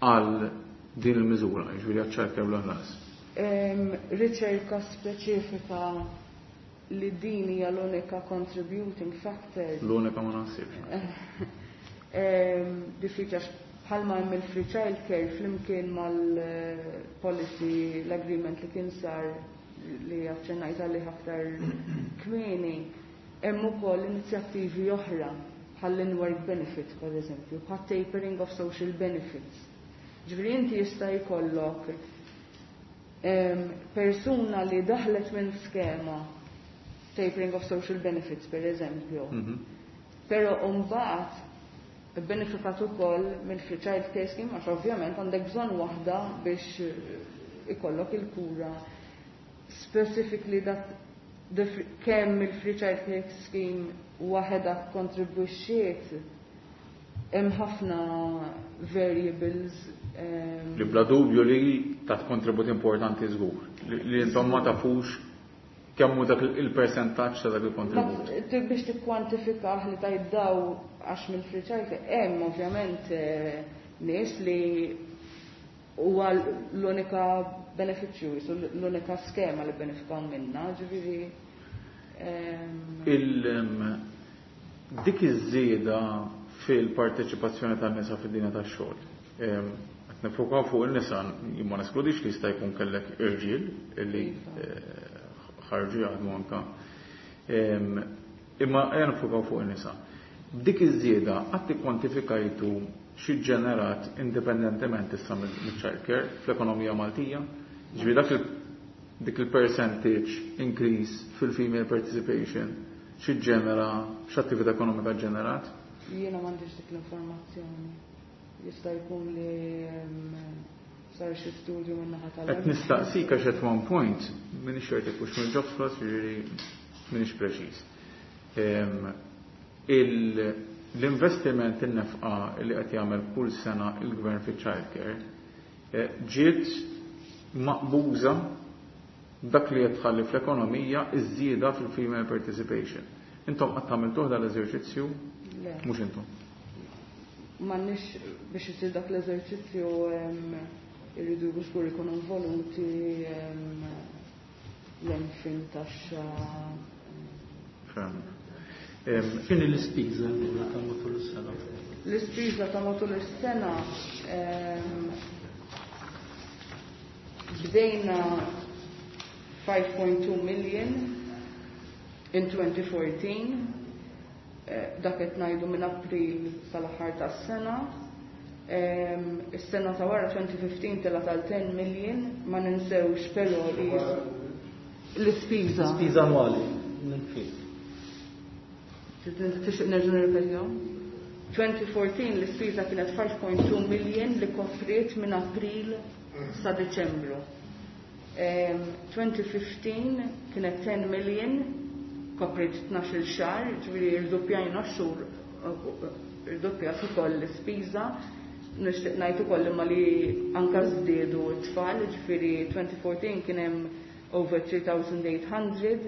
għal din il-miżura, jiġifieri għaċ-childcare bla ħlas? Em, Riċerka speċifika li din hija l-unika contributing factor. L-unika ma naħsibx. Em, Diffiċli għax Bħalma hemm il-free child care flimkien mal-policy, l-agreement li kien sar li aċċennajt għalih aktar kmieni, hemm ukoll inizjattivi oħra bħal in-work benefit, per eżempju, bħal tapering of social benefits. Ġifieri inti jista' jkollok persuna li daħlet minn skema tapering of social benefits, per eżempju. Mhm. Pero mbagħad benefikat ukoll mill-free child care scheme, għax ovvjament għandek bżonn waħda biex ikollok il-kura. Specifically that kemm il-free child care scheme waħedha kontribwixxiet, hemm ħafna variables. Li bla dubju li tat kontribut importanti żgur. Li intom ma tafux kemm hu dak il-percentaġġ ta' dak il-kontribut. Biex tikkwantifikah li tajt daw għax mill-free child care, hemm ovvjament eh, nies li huwa l-unika benefiċċju, l-unika skema li benefikaw minna, ġifieri. Il dik iż-żieda fil-parteċipazzjoni tan-nisa fid-dinja tax-xogħol. Qed nifokaw fuq in-nisa, ma neskludix li jista' jkun kellek irġiel illi eh, ħarġu jaħdmu anka. Imma ejja nifokaw fuq in-nisa. Dik iż-żieda qatt ikkwantifikajtu xi ġenerat indipendentement issa mill-child care fl-ekonomija Maltija? Ġifieri dak dik il-percentage increase fil-female participation xi ġenera, x'attività ekonomika ġenerat? Jiena m'għandix dik l-informazzjoni. Jista' jkun li sar xi studju min-naħa tal. Qed nistaqsik għax at one point m'iniex ċert jekk hux mill-Jobsplus, jiġifieri m'iniex preċiż. L-investiment, in-nefqa li qed jagħmel kull sena il-gvern fiċ-child care eh, ġiet maqbuża dak li qed tħalli fl-ekonomija iż-żieda fil-female participation. Intom qatt għamiltuh dal-eżerċizzju? Mhux intom. M'għandniex biex isir dak l-eżerċizzju, irridu żgur ikunu involuti l-MFIN, taxxa. X'inhi l-ispiża allura ta' matul is-sena? L-ispiża ta' matul is-sena, bdejna five point two million in twenty fourteen, eh, dak qed ngħidu minn April sal-aħħar tas-sena. Is-sena ta' wara, twenty fifteen, tela tal ten million, ma ninsewx però li l-ispiża. Spiża annwali minn Tixtieq nerġa' nirrepetihom? twenty fourteen l-ispiża kienet five point two million li kopriet minn April sa Deċembru. twenty fifteen kienet ten million, kopriet tnax-il xahar, ġifieri rdoppjajna x-xhur, irdoppjat ukoll l-ispiża. Nixtieq ngħid ukoll imma li anka żdiedu t-tfal, ġifieri twenty fourteen kien hemm over three thousand eight hundred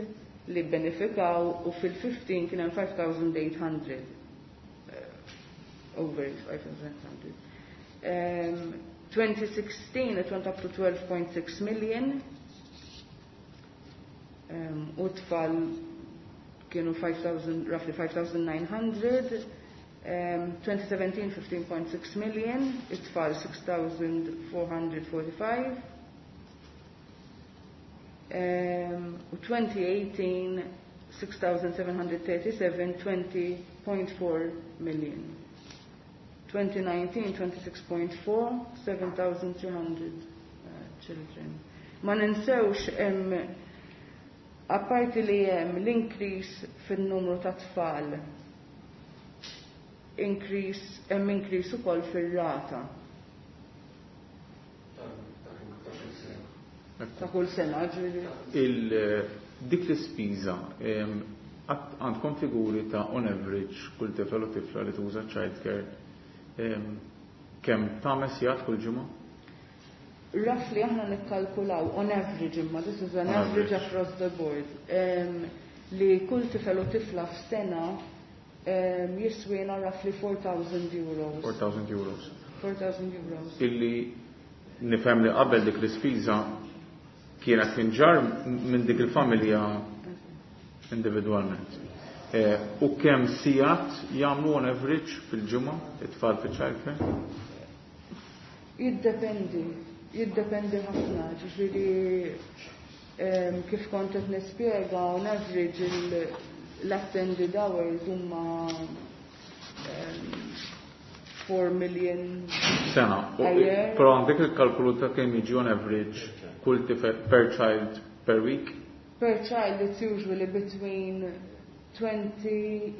li benefikaw u fil-fifteen kien hemm five thousand eight hundred. Over five thousand eight hundred. Um, twenty sixteen it went up to twelve point six million. Um, u tfal kienu five thousand, roughly five thousand nine hundred. Um, twenty seventeen, fifteen point six million, it-tfal six thousand four hundred forty-five. Um, u twenty eighteen, six thousand seven hundred thirty-seven, twenty point four million. twenty nineteen, twenty-six point four, seven thousand two hundred uh, children. Ma ninsewx hemm, apparti li hemm l-increase fin-numru ta' tfal, increase hemm increase ukoll fir-rata. Ta' kull sena, ġifieri. Il dik l-ispiża, għandkom figuri ta' on average kull tifel u tifla li tuża childcare kemm tagħmel sigħat kull ġimgħa? Roughly aħna nikkalkulaw on average, imma this is an average, average across the board, um, li kull tifel u tifla f'sena um, jiswina roughly four thousand euros. four thousand euros. four thousand euros. Illi nifhem li qabel dik l-ispiża kienet tinġar minn dik il-familja individwalment. Eh, u kemm sigħat jagħmlu on average fil-ġimgħa it-tfal fi childcare? Jiddependi, jiddependi ħafna, ġifieri kif kont qed nispjega, on average l-attended hours huma four million sena. Però għandek il-kalkolu ta' kemm jiġi on average kull tifel per child per week? Per child it's usually between twenty,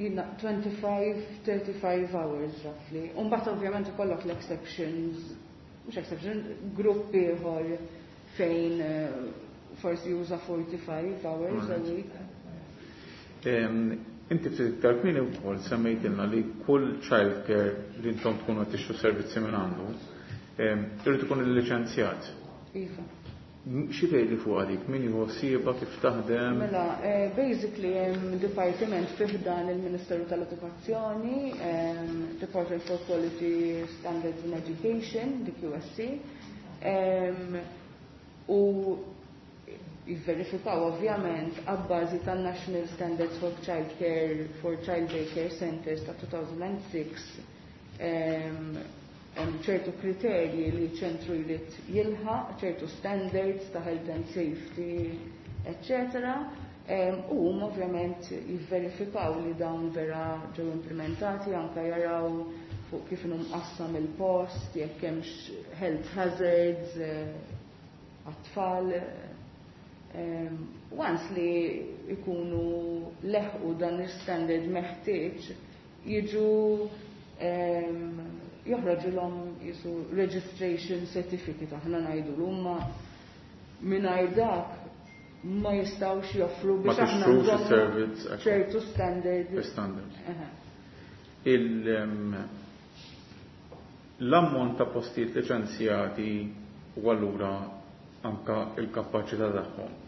twenty-five, thirty-five hours roughly. Umbagħad ovvjament ikollok l-exceptions, mhux exception, gruppi ieħor fejn forsi juża forty-five hours a week. Inti ftit iktar kmieni wkoll semmejtilna li kull child care li intom tkunu qed tixtru servizzi minn għandu, irid ikun illiċenzjat. Iva. Xi tgħidli fuq dik? Min jieħu ħsiebha, kif taħdem? Mela, basically hemm dipartiment fih dan il-Ministeru tal-Edukazzjoni, Department for Quality Standards in Education, D Q S C, u jivverifikaw ovvjament għabbażi tan-National Standards for Child Care for Child Day Care Centers ta' two thousand six, hemm ċertu kriterji li ċentru jrid jilħaq, ċertu standards ta' health and safety, eccetera. U huma ovvjament jivverifikaw li dawn vera ġew implementati, anke jaraw fuq kif inhu mqassam il-post, jekk hemmx health hazards għat-tfal. Once li ikunu leħqu dan il-standard meħtieġ, jiġu joħroġu l-om jisu registration certificate, aħna ngħidu l-umma mingħajr dak ma jistgħux joffru biex Ma aħna tixtrux nżommu is-servizz, ekku. ċertu standard. Standard. Aha. Il, l-ammont ta' postijiet liċenzjati u allura anka il-kapaċità tagħhom.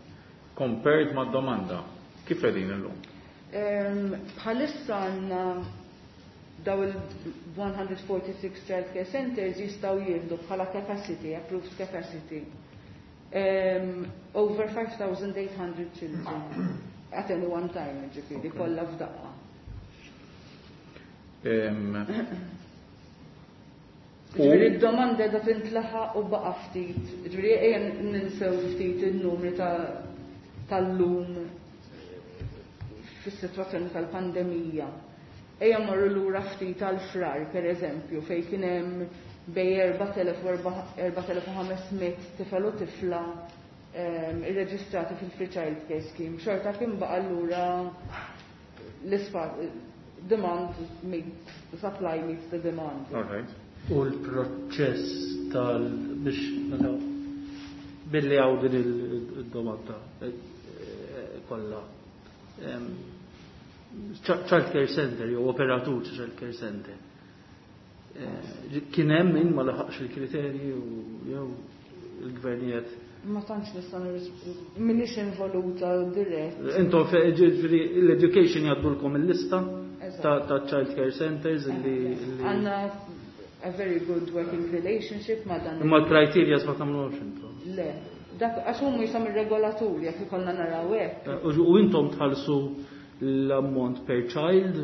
Compared ma' domanda, kif qegħdin illum? Em, bħalissa għandna daw il-one hundred forty-six child care centers jistgħu jieħdu bħala capacity, approved capacity, um, over five thousand eight hundred children at any one time, ġifieri, Okay. kollha f'daqqa. Em, Ġifieri u d-domanda qiegħda tintlaħaq u baqa' ftit. Ġifieri ejja ninsew ftit in-numri ta' tal-lum fis-sitwazzjoni tal-pandemija. Ejja morru lura ftit għal-frar, per eżempju, fejn kien hemm bej erba' elef u erba' elef u ħames mitt tifel u tifla, ehm, irreġistrati fil-Free Child Care Scheme. Xorta kien baqa' lura l-isfa-, demand meets, supply meets the demand. All right. U l-proċess tal biex meta billi hawn din il-domanda, eh, eh, kollha. Ehm, Child Care Center jew operatur ta' Child Care Center. Eh, kien hemm min ma laħaqx il-kriterji u jew il-gvernijiet. Ma tantx nista' nirrisp-, m'iniex involuta dirett. Intom fe-, ġifieri l-education jgħaddulkom il-lista Eżatt. ta', ta' Child Care Centers illi, Eżatt. illi Għandna a very good working relationship ma' dan. Imma l-criteria ma tagħmluhomx intom. Le, dak għax huma jisom ir-regolaturi jekk ikollna naraw hekk. Eh, u intom tħallsu l-ammont per child,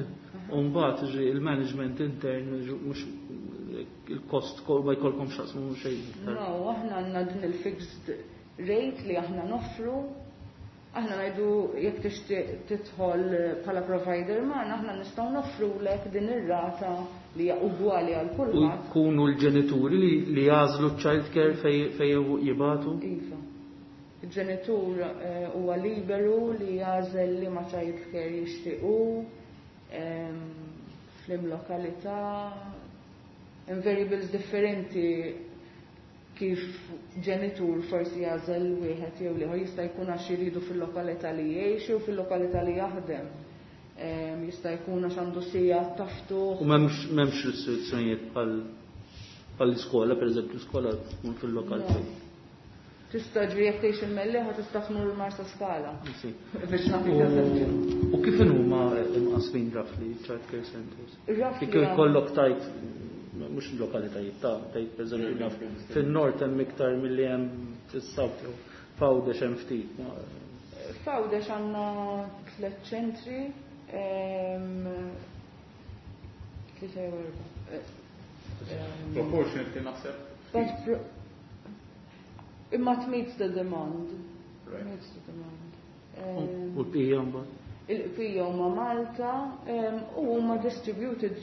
u mbagħad ġi il-management intern mhux il-kost kol-, ma jkollkom x'taqsmu xejn iktar. No, aħna għandna din il-fixed rate li aħna noffru. Aħna ngħidu jekk tixtieq tidħol bħala provider magħna, aħna nistgħu noffrulek din ir-rata li hija ugwali għal U kulħadd. jkunu l-ġenituri li, li jagħżlu ċ-child care fej, fej jibatu? Iva. Il-ġenitur, eh, huwa liberu li jagħżel li ma child care jixtiequ, ehm, flim lokalità, hemm variables differenti kif ġenitur forsi jagħżel wieħed jew ieħor, jista' jkun għax jridu fil-lokalità li jgħixu u fil-lokalità li jaħdem. Ehm, jista' jkun għax għandu sija taftuħ. U m'hemmx, m'hemmx restrizzjonijiet bħal, bħall-iskola, pereżempju, l-iskola tkun fil-lokal No. fejn. Tista' ġri jekk tgħix il-Mellieħa tista' tmur Marsa Skala. Sì. Biex nagħti U- eżempju. U kif huma imqasmin roughly child care centers? Roughly Kif għam- ikollok tajt mhux il-lokalitajiet ta' tajt pereżempju naf fin-nord hemm iktar milli hemm fis-south jew f'Għawdex hemm ftit. Ma- F'Għawdex għandna tliet ċentri, ehm, tlieta jew erba'. Eh, ehm, Proportionately naħseb But pro- imma it meets the demand. Right. Meets the demand. Um, U l-bqija mbagħad. Il-bqija huma Malta um, u huma distributed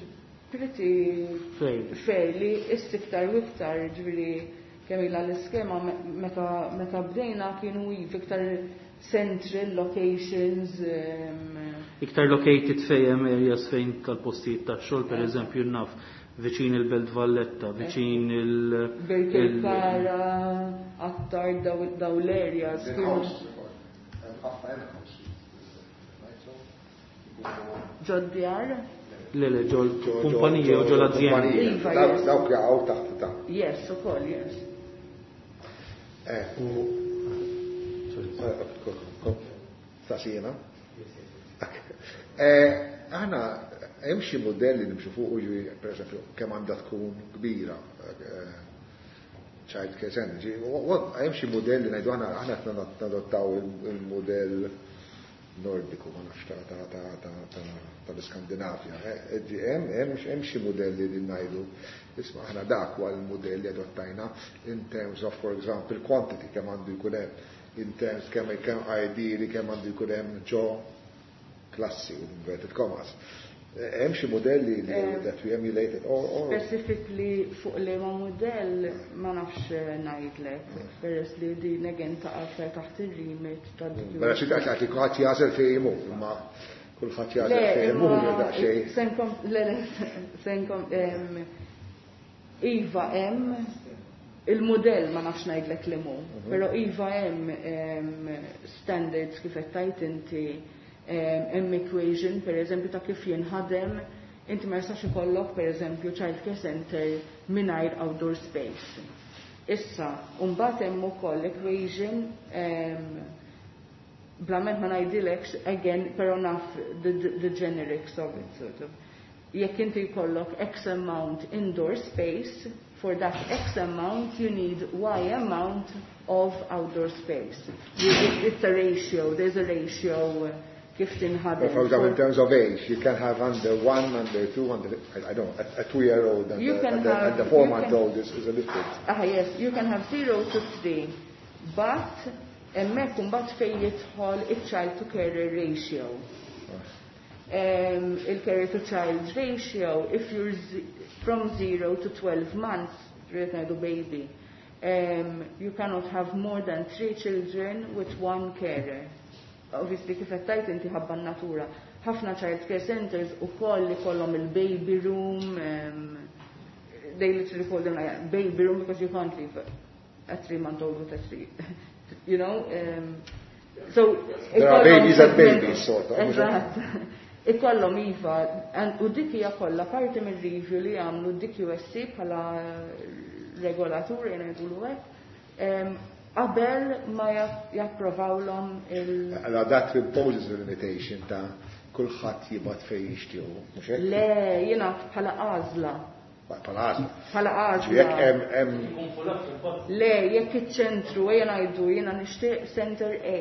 pretty Fairly. Fairly, issa iktar u iktar, ġifieri kemm ilha l-iskema, meta meta bdejna kienu iva iktar central locations. Um, Iktar located fejn hemm areas fejn tal-postijiet tax-xogħol, pereżempju naf viċin il-Belt Valletta, viċin il- Birkirkara, Attard, daw daw l-areas. Kienu In-house, ħafna in-house. Right, so, Ġod-djar? Le, le, ġol kumpanija u ġol azjendi. Iva, Dawk yes. dawk jaqgħu taħt ta' Yes, ukoll, yes. Eh, Sasina. Eh, aħna hemm xi modelli nimxu fuq, ġifieri, per eżempju, kemm għandha tkun kbira eh, child care center. Ġifieri, hemm xi modelli ngħidu aħna aħna qed nadottaw il-modell Nordiku, ma nafx, ta' ta' ta' ta' ta' tal-Iskandinavja. Eh, hemm hemm hemm xi modelli li ngħidu, isma', aħna dak huwa l-modell li adottajna in terms of, for example, quantity, kemm għandu jkun hemm, in terms kemm kemm ideally kemm għandu jkun hemm ġo klassi, inverted commas. Eh, Hemm xi modelli li Eh, that we emulated or, or Specifically fuq li ma modell ma nafx ngħidlek, peress li din again taqa' aktar taħt ir-remit ta' Mela xi taqgħod li kulħadd jagħżel fejn imur, imma kulħadd jagħżel fejn imur daqsxejn. Senkom, le, le, senkom, em, iva hemm il-modell, ma nafx ngħidlek li mu, però iva hemm em, standards kif qed tajt inti, em, hemm equation, per eżempju, ta' kif jinħadem. Inti ma jistax ikollok, per eżempju, child care center mingħajr outdoor space. Issa, mbagħad hemm ukoll equation, em, blament ma ngħidilekx again, però naf the, the, the generics of it, sort of. Jekk inti jkollok X amount indoor space, for that X amount you need Y amount of outdoor space. You, it, it's a ratio, there's a ratio uh, kif tinħadem. For example, in terms of age, you can have under one, under two, under, I, I don't know, a, a two-year-old and, You a, can and, a, have- and a four-month-old you is, is a different. Ah, yes, you can have zero to three, but hemmhekk imbagħad fejn jidħol il-child to carer ratio. Um, il-carer to child ratio, if you're z from zero to twelve months, rrid ngħidu baby, um, you cannot have more than three children with one carer. Obviously, kif qed tgħid inti ħabba n-natura. Ħafna child care centers ukoll li kollhom il-baby room, um, they literally call them like baby room because you can't leave a three-month-old with a three, you know. Um, so There are ikollhom babies and segment- babies, sort of. Eżatt. Ikollhom iva, and- u dik hija kollha parti mir-review li għamlu D Q S C bħala regolatur, jgħidulu hekk, em, qabel ma japp- japprovawlhom il- Allora that imposes a limitation ta' kulħadd jibgħat fejn jixtiequ, mhux hekk? Le, jiena bħala għażla. Bħala għażla. Bħala għażla. Jekk hemm hemm Le, jekk iċ-ċentru, ejja ngħidu, jiena nixtieq Center A.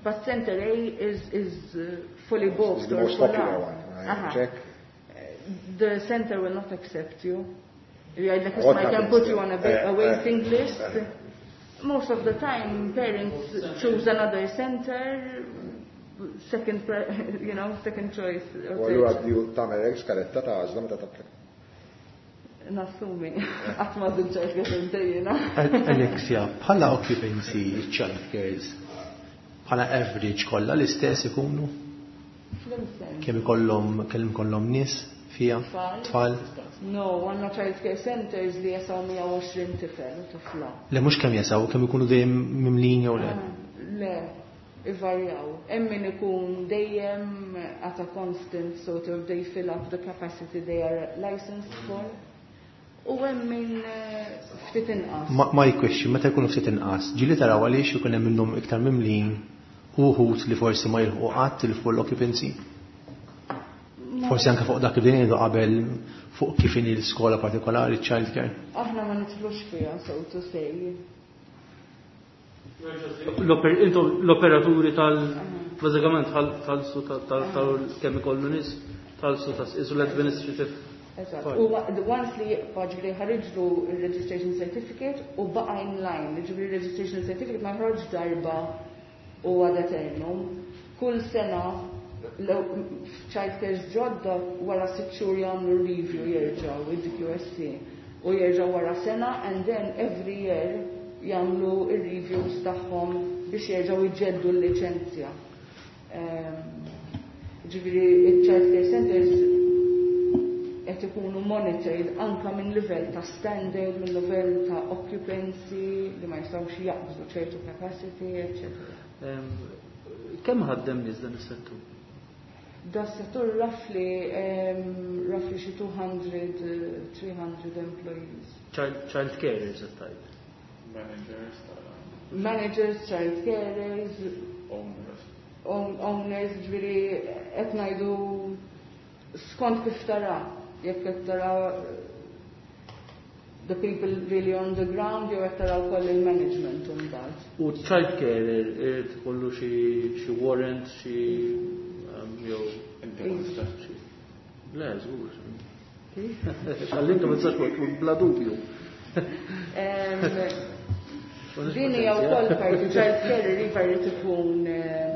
But Center A is, is uh, fully booked Is the or most full popular up. one, right? Aha. Check. The center will not accept you. Jgħidlek, What I can happens put you then? on a, ba- Eh, a waiting eh, list. eh. Most of the time, parents choose another center, second, pre you know, second choice. Or U third. allura di tagħmel hekk skaletta ta' għażla meta tapplika. Nassumi, qatt ma żilt child care center jiena. Alexia, bħala occupancy child cares, bħala average kollha l-istess ikunu? Fl-imsen. Kemm ikollhom kemm ikollhom nies fija? Tfal? Tfal? No, għandna child care centers li jesgħu mija u għoxrin tifel u tifla. Le, mhux kemm jesgħu, kemm ikunu dejjem mimlin jew le? Ah, le, ivarjaw. Hemm min ikun dejjem at a constant, sort of, they fill up the capacity they are licensed for. U hemm min eh, ftit inqas. Ma my question, meta jkunu ftit inqas, ġieli taraw għaliex ikun hemm minnhom iktar mimlin u wħud li forsi ma jilħqu qatt il-full occupancy? Forsi anke fuq dak li bdejna ngħidu qabel, fuq kif inhi l-iskola partikolari, child care. Aħna ma nidħlux fiha, so to say. L-oper- Intom l-operaturi tal bażikament tħallsu tal kemm ikollu nies, tħallsu ta' isu l-administrative Eżatt. U once li jibqa', ġifieri ħariġlu il-registration certificate u baqa' in line, ġifieri registration certificate ma ħroġ darba u ad eternum. Kull sena child care ġodda wara sitt xhur jagħmlu review, jerġgħu id-D Q S C u jerġgħu wara sena, and then every year jagħmlu ir-reviews tagħhom biex jerġgħu jġeddu l-liċenzja. Ġifieri il-child care centers qed ikunu monitored anka minn livell ta' standard, minn livell ta' occupancy, li ma jistgħux jaqbżu ċertu capacity, eccetera. Kemm ħaddem nies dan is-settur? Da settur roughly um, roughly xi two hundred, three hundred employees. Child, child carers qed tgħid. Managers, Managers, child carers, owners. Owners, ġifieri qed ngħidu skont kif tara, jekk qed tara the people really on the ground jew qed tara wkoll il-management imbagħad. U child carer irid ikollu xi xi warrant, xi um, jew xi- Le, żgur. Għallintu ma tistax bla dubju. Em, Din hija wkoll parti, child carer iva jrid ikun em,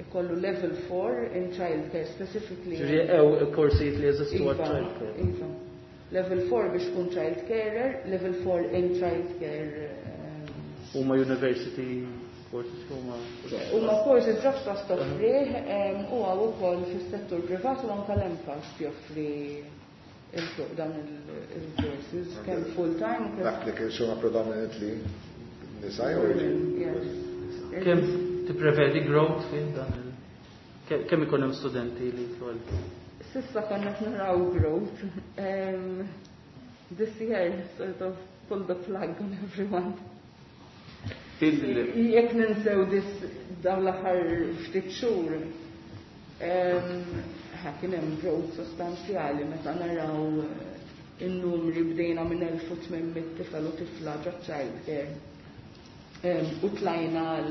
ikollu level four in child care specifically. Ġifieri ew korsijiet li jeżistu għal Iva, child care. Iva. Level four biex tkun child carer, level four in child care. em, Huma university courses, huma Huma courses Jobs Plus toffrih em, u hawn ukoll fis-settur privat u anke l-MCAST joffri il- dan il-courses kemm full time u kemm L-applicants huma predominantly nisa jew irġiel? Yes. Kemm tipprevedi growth fin dan il ke- kemm ikun hemm studenti li jidħlu għal S'issa konna qed naraw growth. Um, this year sort of pulled the plug on everyone. Il- Jekk ninsew dis dawn l-aħħar ftit xhur, em, ħa kien hemm growth sostanzjali meta naraw eh, in-numri. Bdejna minn elf u tmien mitt tifel u tifla ġo child care. Em, U tlajna għal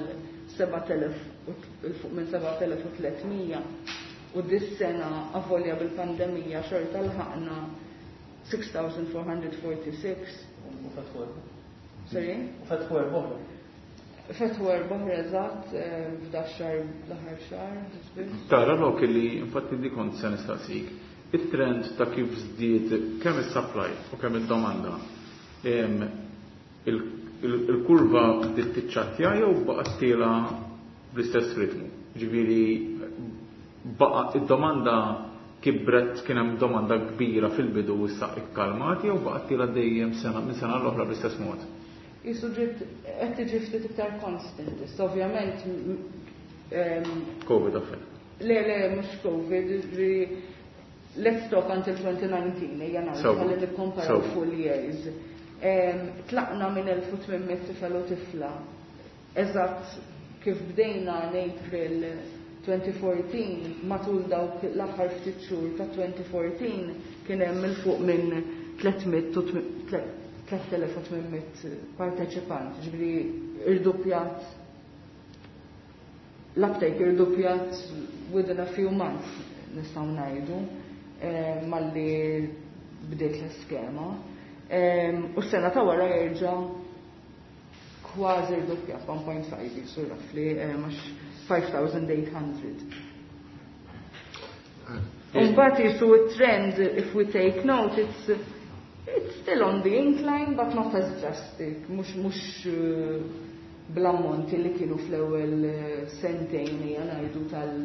sebat elef u t- fuq minn sebat elef u tliet mija u dis-sena, avolja bil-pandemija, xorta lħaqna sitt elef u erba' mija u sieħa u erbgħin. U fetħu Sorry? U fetħu erba' oħra. Fetħu erba' oħra eżatt eh, f'dax-xahar, l-aħħar xahar. Biss. Tara lok li infatti di kont se nistaqsik. Il-trend ta' kif żdied kemm is-supply u kemm id-domanda. em, il- il- Il-kurva bdiet tiċċattja jew baqgħet tiela bl-istess ritmu? Ġifieri baqa' id-domanda kibret, kien hemm domanda kbira fil-bidu u issa ikkalmat, jew baqgħet tiela dejjem sena minn sena l-oħra bl-istess mod? Jisu ġiet qed tiġi ftit iktar constant. Issa ovvjament m- em, Covid affett. Le, le, mhux Covid, ġifieri let's talk until twenty nineteen, ejja ngħidu So, ħalli nikkomparaw so. full years. Em, Tlaqna minn elf u tmien mitt tifel u tifla. Eżatt kif bdejna in April twenty fourteen, matul dawk l-aħħar ftit xhur ta' twenty fourteen kien hemm il fuq minn tliet mitt u tmi- tle- tliet elef u tmien mitt parteċipant, ġifieri irdoppjat l-uptake, irdoppjat within a few months, nistgħu ngħidu, eh, malli bdiet l-iskema. Eh, U s-sena ta' wara jerġa' kważi irdoppjat, one point five jisu roughly, eh, mhux five thousand eight hundred. Mbagħad jisu trend, if we take note, it's it's still on the incline, but not as drastic, mhux mhux eh, bl-ammonti li kienu fl-ewwel eh, sentejn hija ngħidu tal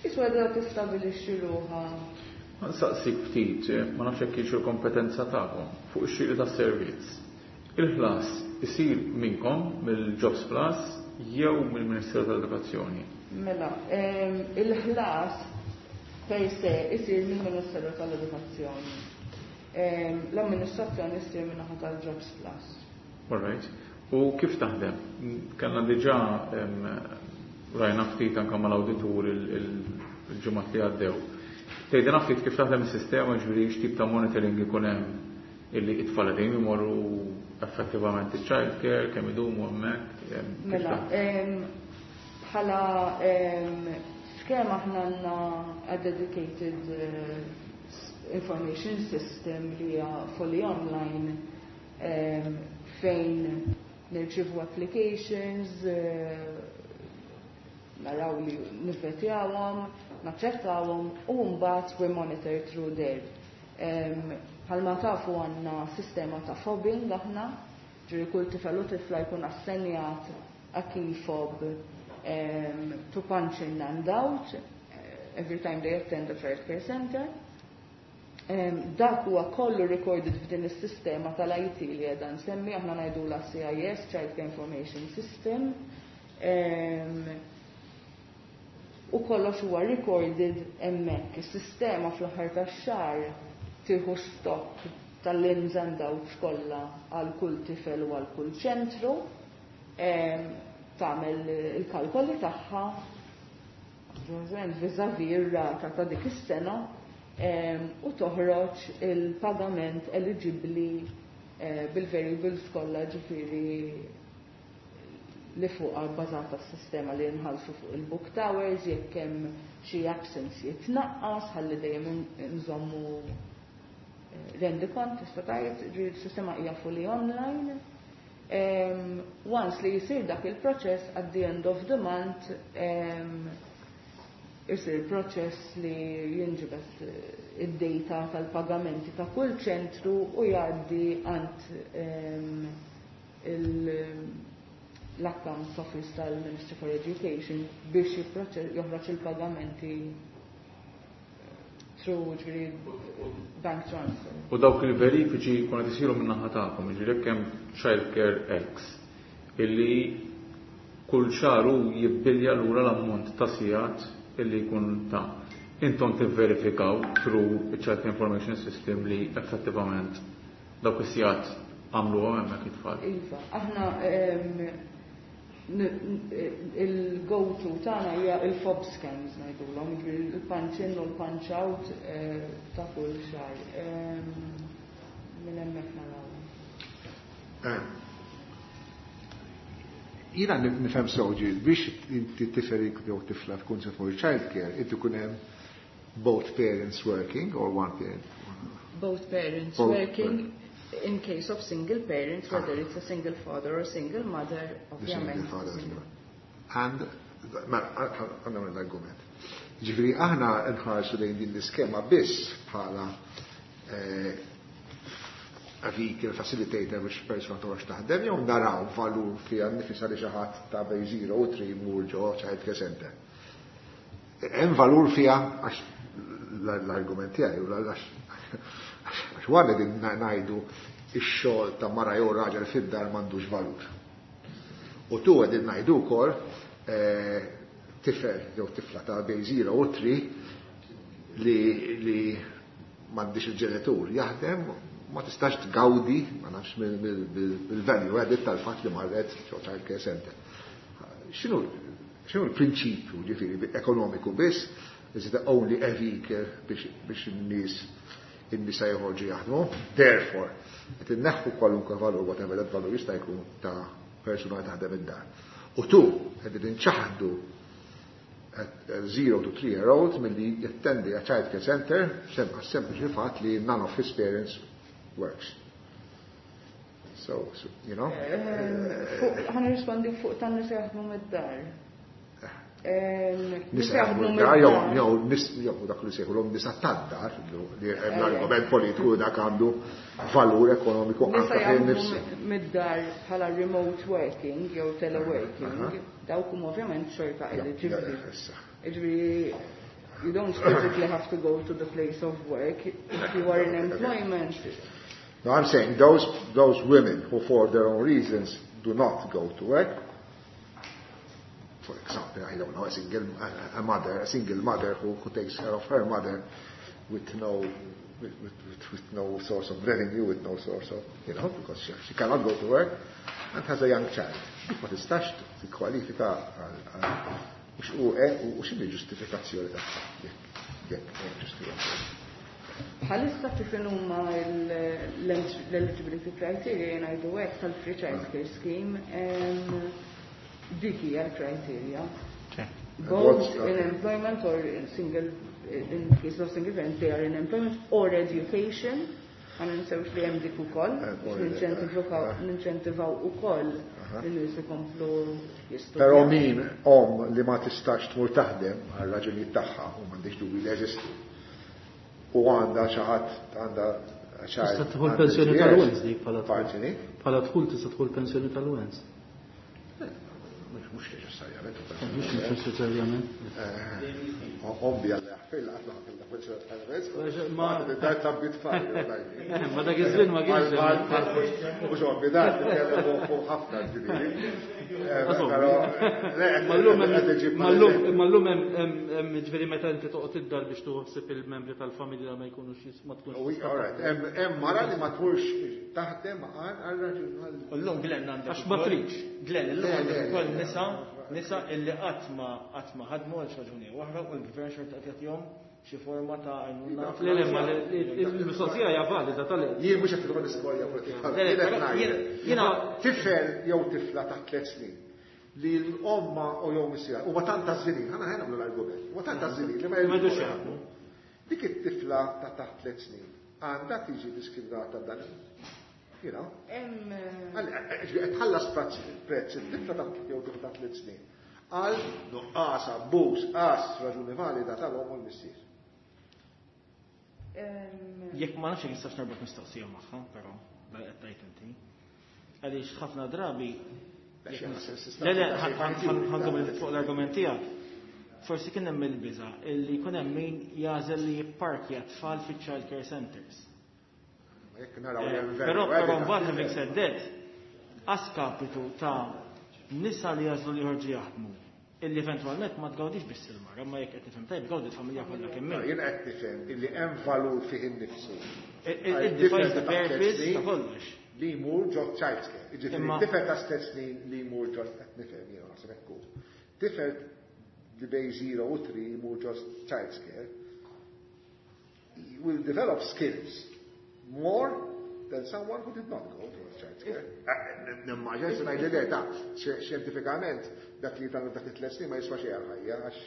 Jisu għadha tistabilixxi ruħha. Nsaqsik ftit, eh, ma nafx jekk kienx il-kompetenza tagħkom fuq ix-xiri tas-servizz. Il-ħlas isir minnkom, mill-Jobs Plus, jew mill-Ministeru tal-Edukazzjoni? Mela, em, il-ħlas per se isir mill-Ministeru tal-Edukazzjoni. Em, L-amministrazzjoni issir min-naħa tal-Jobs Plus. All right. U kif taħdem? Kellna diġà em, rajna ftit anke mal-awditur il-ġimgħat li għaddew. Tgħidilna ftit kif taħdem is-sistema, ġifieri x'tip ta' monitoring ikun hemm illi it-tfal qegħdin imorru effettivament il-child care, kemm idumu hemmhekk, em, kif Mela, taħdem? em, bħala em, skema L-iskema aħna għandna a dedicated uh, information system li hija fully online um, fejn nirċivu applications, uh, naraw li nivvetjawhom, naċċettawhom u mbagħad we monitor through there. Bħalma tafu għandna sistema ta' fobbing aħna, ġifieri kull tifel u tifla jkun assenjat a key fob um, to punch in and out eh, every time they attend the child care center. Um, dak huwa kollu recorded f'din is-sistema tal-I T li qiegħda nsemmi, aħna ngħidula C I S, Child Care Information System. Um, u kollox huwa recorded hemmhekk. Is-sistema fl-aħħar tax-xahar tieħu stock tal-ins and outs kollha għal kull tifel u għal kull ċentru, em, tagħmel il-kalkoli tagħha vis-à-vis ir-rata ta' dik is-sena em, u toħroġ il-pagament eligibbli eh, bil-variables kollha, ġifieri li fuqha bbażata s-sistema li nħallsu fuq il-booked hours, jekk hemm xi absence jitnaqqas, ħalli dejjem nżommu eh, rendikont, tista' tgħid, ġifieri s-sistema hija fully online. Um, once li jisir dak il-proċess, at the end of the month, um, isir proċess li jinġibet eh, id-data tal-pagamenti ta' kull ċentru u jgħaddi għand um, l-accounts office tal-Ministry for Education biex joħroġ il-pagamenti through, ġifieri, bank transfer. U dawk il-verifiċi kun qed isiru minn naħa tagħkom, jiġifieri jekk hemm childcare X illi kull xahar hu jibbilja lura l-ammont ta' sigħat illi jkun ta' intom tivverifikaw through il-Child Information System li effettivament dawk is-sigħat għamluhom hemmhekk it-tfal. Iva, aħna il-go-to tagħna hija il-fob scans ngħidulhom, jiġifieri il-punch in u l-punch out eh, ta' kull xahar. Minn hemmhekk naraw. Eh, jiena nifhem sewwa, biex inti tifel jew tifla tkun se tmur child care, inti kun hemm both parents working or one parent? Both parents Both working. In case of single parents, whether it's a single father or single mother, The single ovvjament. Father as well. And, ma, għandna l-argument. Ġifieri, aħna nħarsu lejn din l-iskema biss bħala eh, a vehicle facilitator biex persona toħroġ taħdem, jew naraw valur fiha nifisha li xi ħadd ta' bejn zero u tlieta jmur ġo child care center? Hemm valur fiha, għax l-argument tiegħi u għax għax wara din ngħidu ix-xogħol ta' mara jew raġel fid-dar m'għandux valur. U tu qegħdin ngħidu wkoll eh, tifel jew tifla ta' bejn zero u tlieta li li m'għandix il-ġenitur jaħdem ma tistax tgawdi, ma nafx, mill-value added tal-fatt li marret ġo child care center. X'inhu x'inhu l-prinċipju, ġifieri ekonomiku biss, is it only a vehicle biex biex in-nies in-nisa joħorġu jaħdmu? Therefore, qed inneħħu kwalunkwe valur, whatever that valur jista' jkun, ta' persuna li taħdem id-dar. U tu qed inċaħdu at zero to three year old milli jattendi a child care center sem sempliċi fatt li none of his parents works. So, so you know. Ħa nirrispondi fuq tan nisa jaħdmu mid-dar. Nisa jaħdmu mid-dar, jew jew nis jew dak li sejħu nisa tad-dar, li hemm l-argument politiku dak għandu valur ekonomiku Nisa anke fejn jaħdmu nifsu. mid-dar bħala remote working jew teleworking, dawk huma ovvjament xorta eligibbli. Issa. Ġifieri, you don't physically have to go to the place of work. If you are in employment, No, I'm saying those, those women who for their own reasons do not go to work, for example, I don't know, a single a, a mother, a single mother who, who takes care of her mother with no, with, with, with, with no source of revenue, with no source of, you know, because she, she cannot go to work and has a young child. Dik ma tistax tikkwalifika għal għal u u x'inhi ġustifikazzjoni tagħha jekk jekk hemm ġustifikazzjoni? Bħalissa kif huma l-eligibility criteria, jgħidu hekk, tal-free child care scheme, em, dik hija l-criteria. Both in employment or in single, in case of single parent, they are in employment or education. Ma ninsewx li hemm dik ukoll, biex ninċentivaw ukoll in-nies ikomplu jistudjaw. Però min omm li ma tistax tmur taħdem għal raġunijiet tagħha u m'għandix dubji li jeżistu. U għandha xi ħadd għandha Tista' tidħol pensjoni tal-wens dik bħala dħul. Bħala dħul tista' tidħol pensjoni tal-wens. Mhux neċessarjament. Mhux neċessarjament. Ovvja li ħfil qatt ma ħafilna pensjoni tal-wens. Ma dar tabbi tfal. Ma dak iż-żmien ma kienx. Mhux ovvja dar titkellem fuq ħafna ġifieri. Ma llum hemm ġifieri meta inti toqgħod id-dar biex tuħsib il-membri tal-familja ma jkunux ma tkunx. Hemm mara li ma tmurx taħdem għal raġun. Illum Glenn għandek. Għax ma tridx. Glenn illum għandek ukoll nisa nisa illi qatt ma qatt ma ħadmu għal raġuni oħra u l-gvern xorta qed jagħtihom xi forma ta' għajnuna. Le le ma l-mistoqsija hija valida tal Jien mhux qed nidħol l-istorja politika. Jiena tifel jew tifla ta' tliet snin li l-omma u jew missiera huma tant għażżilin, ħana ħa nagħmlu l-argument, huma tant għażżilin li ma jridux jaħdmu. Dik it-tifla ta' taħt tliet snin għandha tiġi diskriminata b'dan. You know? Qed tħallas prezz it-tifla ta' jew tifla ta' tliet snin għal nuqqas abbuż qas raġuni valida tal-omm u l-missier. Jekk ma nafx jekk nistax narbot mistoqsija magħha, però qed tgħid inti. Għaliex ħafna drabi Le, le, ħankom fuq l-argument tiegħek. Forsi kien hemm il-biża' illi jkun hemm min jagħżel li jipparkja tfal fiċ-child care centers. Però però mbagħad having said that, askapitu ta' nisa li jagħżlu li joħorġu jaħdmu illi eventwalment ma tgawdix biss il-mara, ma jekk qed nifhem tajjeb gawdi l-familja kollha kemm hemm. Jien qed nifhem illi hemm valur fih innifsu. It defines the purpose ta' kollox. Li jmur ġo child care. Jiġifieri tifel ta' tliet snin li jmur ġo qed nifhem jiena naħseb hekk hu. Tifel li bej zero u three jmur ġo child care will develop skills more than someone who did not go to a child care. Nimmaġina se ngħid li ta' xjentifikament dak li tagħmel dak it-tliet snin ma jiswa xejn għal-ħajja għax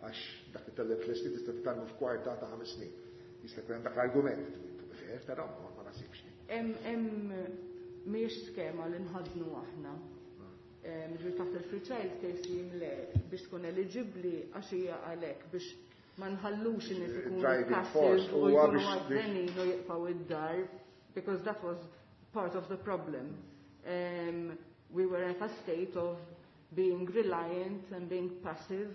għax dak li tagħmel tliet snin tista' titgħallmu f'kwarta ta' ħames snin. Jista' jkun hemm dak l-argument, fair, però ma nasibx. Hemm mhijiex skema li nħadnu aħna. Ġifieri taħt il-free child care scheme le biex tkun eligibbli għax hija għalhekk biex ma nħallux in-nies ikunu passive u jkunu għaddenin u jibqgħu id-dar because that was part of the problem. Um, we were at a state of being reliant and being passive,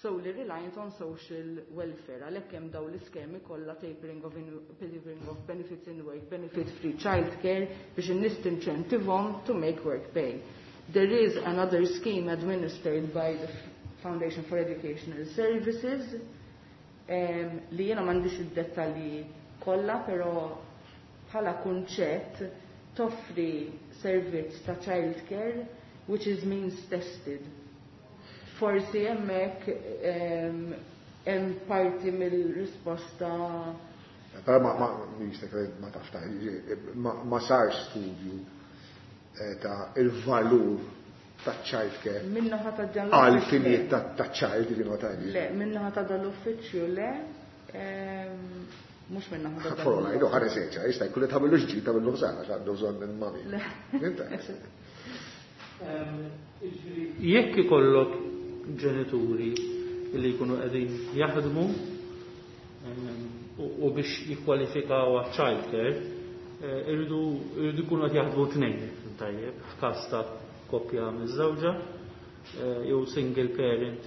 solely reliant on social welfare. Għalhekk hemm dawn l-iskemi kollha tapering of, in, tapering of benefits in work, benefit free childcare biex in-nies tinċentivhom to make work pay. There is another scheme administered by the Foundation for Educational Services um, li jiena m'għandix id-dettalji kollha, però bħala kunċett toffri servizz ta' childcare which is means tested. Forsi hemmhekk hemm parti mill-risposta. Però ma ma ma tafx ma ma sarx studju ta' il-valur ta' child care. Minnaħa ta' dan għal finijiet ta' child li ma tgħidx. Le, minnaħa ta' dan l-uffiċċju le. Mhux minnaħa ta' dan. Forla, jdu ħares eċa, jista' jkun li tagħmlu ġdid tagħmlu ħsara għax għandu bżonn il-mami. Jekk ikollok ġenituri li jkunu qegħdin jaħdmu u biex jikkwalifikaw għal child care, irridu jkunu qed jaħdmu tnejn tajjeb, f'każ ta' koppja miż-żewġa jew single parent.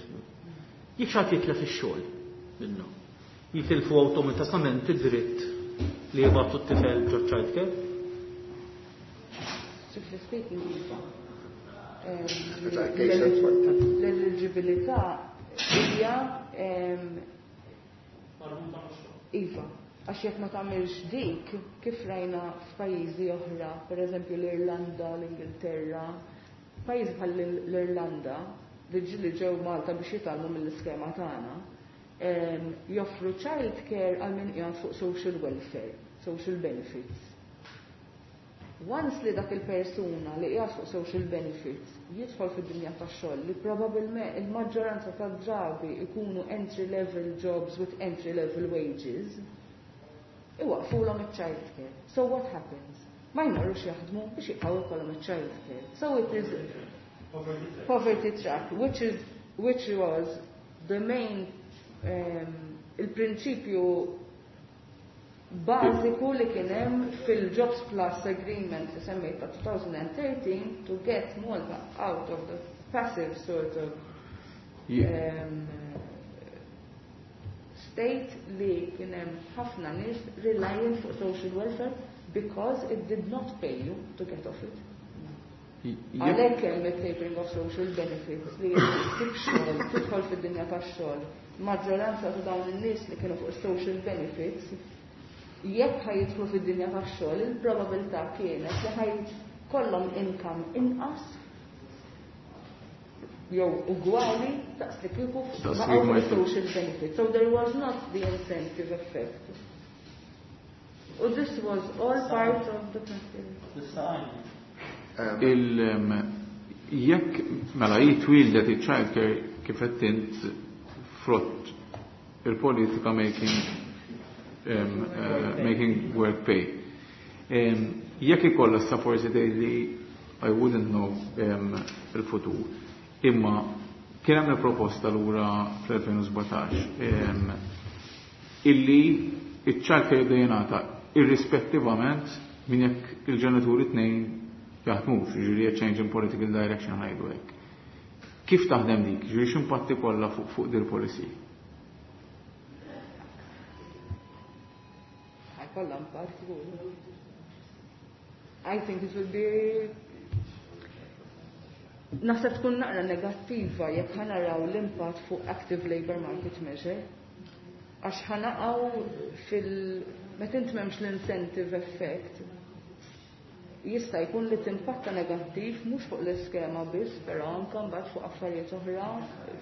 Jekk xi ħadd jitlef ix-xogħol minnhom, jitilfu awtomatikament id-dritt li jibgħatu t-tifel ġo child care? Strictly speaking, iva. L-eligibilità hija iva, għax jekk ma tagħmilx dik, kif rajna f'pajjiżi oħra, pereżempju l-Irlanda, l-Ingilterra, pajjiżi bħal l-Irlanda li ġieli ġew Malta biex jitgħallmu mill-iskema tagħna, joffru child care għal min qiegħed fuq social welfare, social benefits. Once li dak il-persuna li qiegħed fuq social benefits jidħol fid-dinja tax-xogħol, li probabbilment il-maġġoranza tad-drabi ikunu entry level jobs with entry level wages, iwaqfulhom iċ-child care. So what happens? Ma jmorrux jaħdmu biex jibqgħu jkollhom iċ-child care. So it is poverty trap, which is which was the main um, il-prinċipju bażiku li kien hemm fil-Jobs Plus Agreement li semmejt ta' twenty thirteen to get Malta out of the passive sort of um, state li kien hemm ħafna nies relying fuq social welfare because it did not pay you to get off it. Għalhekk hemm it-tapering of social benefits li ssib xogħol, tidħol fid-dinja tax-xogħol. Maġġoranza ta' dawn in-nies li kienu fuq social benefits, jekk ħa jidħlu fid-dinja tax-xogħol, il-probabilità kienet li ħa jkollhom income inqas jew ugwali daqs li kieku Daqs li kieku ma baqgħu social benefits. So there was not the incentive effect. U this was all part of the package. Il jekk mela jitwildet il-childcare, kif qed int, frott il-politika making um, uh, making work pay. Um, jekk ikollha sa forsi tgħidli, I wouldn't know um, il-futur. Imma kien hemm proposta lura fl-elfejn u sbatax um, illi iċ-childcare jibda jingħata irrispettivament minn jekk il-ġenituri tnejn jaħdmux, ġifieri a change in political direction, ngħidu hekk. Kif taħdem dik? Ġifieri x'impatti kollha fuq fuq dil policy? Ħa jkollha impatt żgur. I think it will be, naħseb tkun naqra negattiva jekk ħa naraw l-impatt fuq active labor market measure. Għax ħa naqgħu fil meta int m'hemmx l-incentive effect, jista' jkun li timpatta negattiv mhux fuq l-iskema biss, però anke mbagħad fuq affarijiet oħra,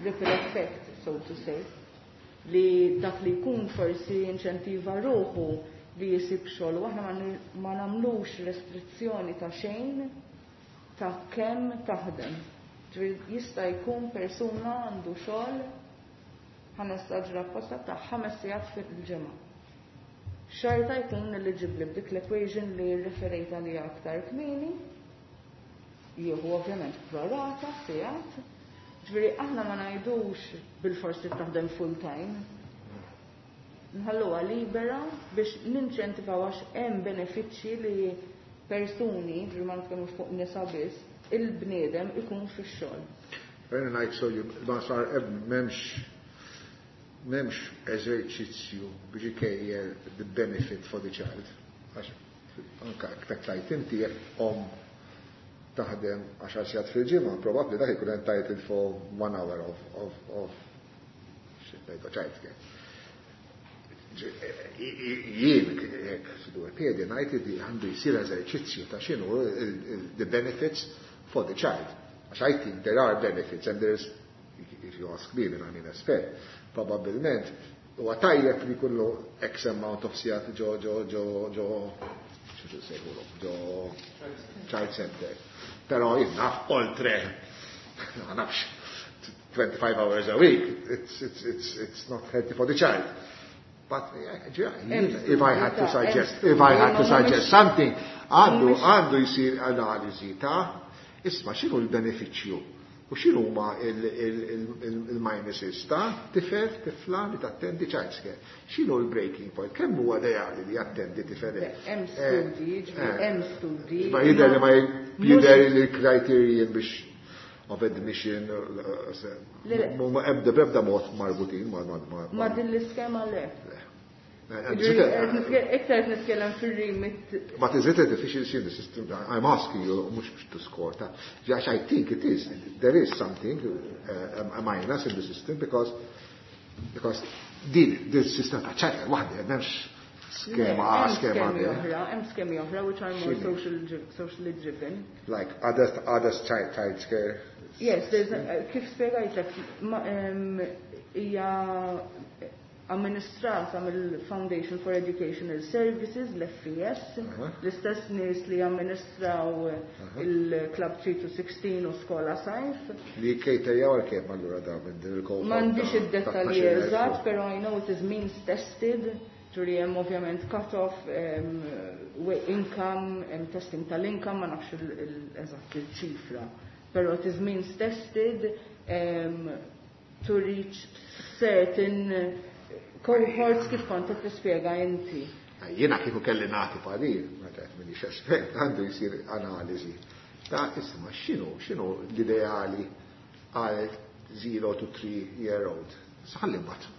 ripple effect, so to say. Li dak li jkun forsi inċentiva ruħu li jisib xogħol, u aħna ma n- ma nagħmlux restrizzjoni ta' xejn ta' kemm taħdem. Ġifieri jista' jkun persuna għandu xogħol, ħa nesaġera apposta, ta' ħames sigħat fil-ġimgħa. Xorta jkun eligibbli b'dik l-equation li referejt għalija aktar kmieni, jieħu ovvjament prorata sigħat. Ġifieri aħna ma ngħidux bil-forsi taħdem full time. Nħalluha libera biex ninċentivaw għax hemm benefiċċji li persuni, ġifieri ma nitkellmux fuq nisa biss, il-bniedem ikun fix-xogħol. Very nice, so you, ma sar m'hemmx m'hemmx eżerċizzju biex ikejjel the benefit for the child. Għax anka kif tgħid inti, jekk om taħdem għaxar sigħat fil-ġimgħa, probabbli dak ikun entitled for one hour of of of child care. Jien jekk dwar piedi ngħid li għandu jsir eżerċizzju ta' x'inhu the benefits for the child. Għax I think there are benefits and there's, if you ask me, then I'm an expert, probabbilment huwa tajjeb li kullu X amount of sigħat ġo ġo ġo ġo x'tu sejħulu, ġo child center. Però jien naf oltre, ma nafx, twenty-five hours a week, it's, it's, it's, it's not healthy for the child. But yeah, if I had to suggest, if I had to suggest something, għandu għandu jisir analiżi ta' isma' x'inhu l-benefiċċju u x'inhu huma il-minuses ta' tifel, tifla li tattendi childcare. X'inhu l-breaking point? Kemm huwa ideali li jattendi tifel? Hemm studji, ġifieri hemm studji. Ma jidher li ma jidher li l-criterion biex of admission ma ebda b'ebda mod marbutin ma ma Ma din l-iskema le. Iktar nitkellem fil-remit. But is it a deficiency in the system? I'm asking you, mhux biex to score. Għax I think it is. There is something, uh, a minus in the system because because din, din system ta' childcare waħda, m'hemmx skema A, skema B. Oħra, hemm skemi oħra which are more social, socially driven. Like others, others child, child care. Yes, there's a, kif spjegajtlek, hija amministrata mill-Foundation for Educational Services, l-F E S, l-istess nies li amministraw il-Club three to sixteen u Skola Sajf. Li caterjaw għal kemm allura da minn din il-cohort? M'għandix ta' id-dettalji tnax-il elf? Eżatt, però I know it is means tested, ġuri hemm ovvjament cut-off, um, income, hemm testing tal-income, ma nafx il-eżatt il-ċifra. Però it is means tested um, to reach certain cohorts kif kont qed tispjega inti. Jiena kieku kelli nagħti parir, ma tgħid minix espert, għandu jsir analiżi ta' isma' x'inhu x'inhu l-ideali għal zero to three year old. Ħalli mbagħad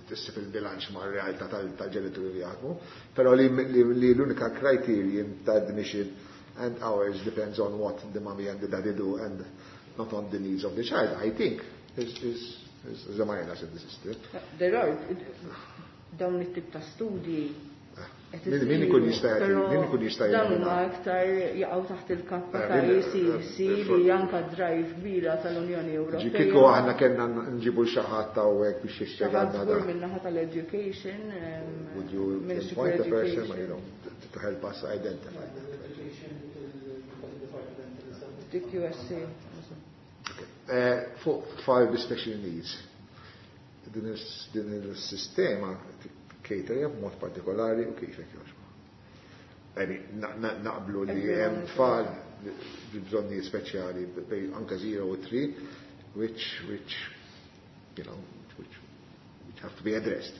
tissib il-bilanċ ma' realtà tal-ġenituri li jaħdmu, però li l-unika criterion ta' admission and hours depends on what the mommy and the daddy do and not on the needs of the child, I think, is, is, is a minus in the system. There are dawn it-tip ta' studji. Min min ikun jista' Però min ikun jista' dawn huma aktar jaqgħu taħt il-kappa Eh, ta' min- E C C eh, li anka drive kbira tal-Unjoni Ewropea. Kieku aħna kellna nġibu xi ħadd hawnhekk biex jispjegalna Xi ħadd żgur da. min-naħa tal-education, um, Would you Ministry for appoint a person, Education. you know, to, to help us identify that? D Q S C. Eh, Fuq tfal bi special needs, din is- din il-sistema caterja b'mod partikolari u kif hekk jogħġbu? I mean, na- na- naqblu li hemm tfal bi bżonnijiet speċjali bejn anka zero u three, which, which, you know, which, which have to be addressed.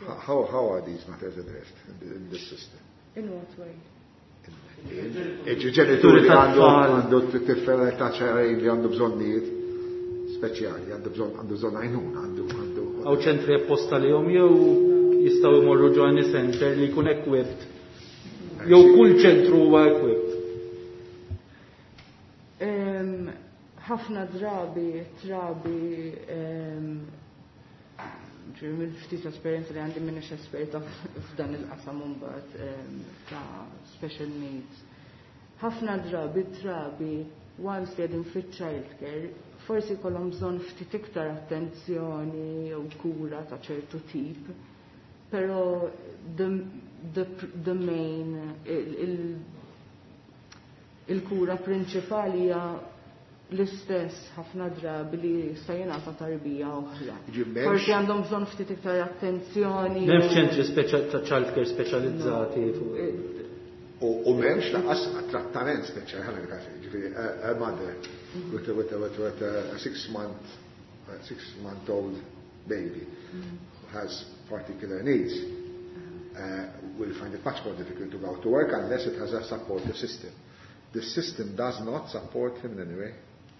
How, how are these matters addressed in, the, in this system? In what way? Il-ġenituri li għandu għandu tifel ta' xahrejn li għandu bżonnijiet speċjali, għandu bżonn għandu bżonn għajnuna, għandu għandu. Hawn ċentri apposta li jom jew jistgħu jmorru ġo any center li jkun equipped? Jew kull ċentru huwa equipped? Em, ħafna drabi, trabi, em, ġifieri mill-ftit esperjenza li għandi, minix esperta f'dan il-qasam mbagħad em, ta' special needs. Ħafna drabi, trabi, once li qegħdin fit-childcare, forsi jkollhom bżonn ftit iktar attenzjoni jew kura ta' ċertu tip, però the, the, the main, il, il, il-kura prinċipali hija l-istess ħafna drabi li se jingħata tarbija oħra. Ġi m'hemmx- Forsi għandhom bżonn ftit iktar attenzjoni. M'hemmx ċentri speċa- ta' childcare speċjalizzati fuq. U u m'hemmx lanqas trattament speċjali, ħana dik, ġifieri a a mother with a, with a, with a, with a six month a six month old baby who has particular needs uh, will find it much more difficult to go to work unless it has a supportive system. The system does not support him in any way.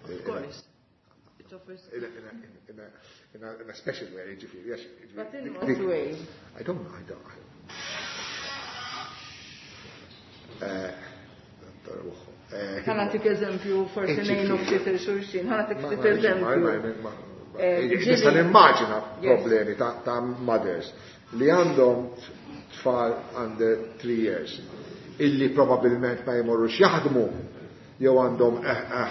Of course. It offers In a, in a, in a, in a, in a special way, ġifieri, yes. But in what way? I don't know, I don't. Uh, eh, Ħa nagħtik eżempju, forsi Eh, ngħinu ġifieri. ftit il-xulxin, ħa nagħtik Ma- ftit ma- eżempju. ma- ma- ma- Eh, Nista' ġieli- nimmaġina Yes. problemi ta' ta' mothers li għandhom tfal under three years illi probabilment ma jmorrux jaħdmu jew għandhom eh, eh,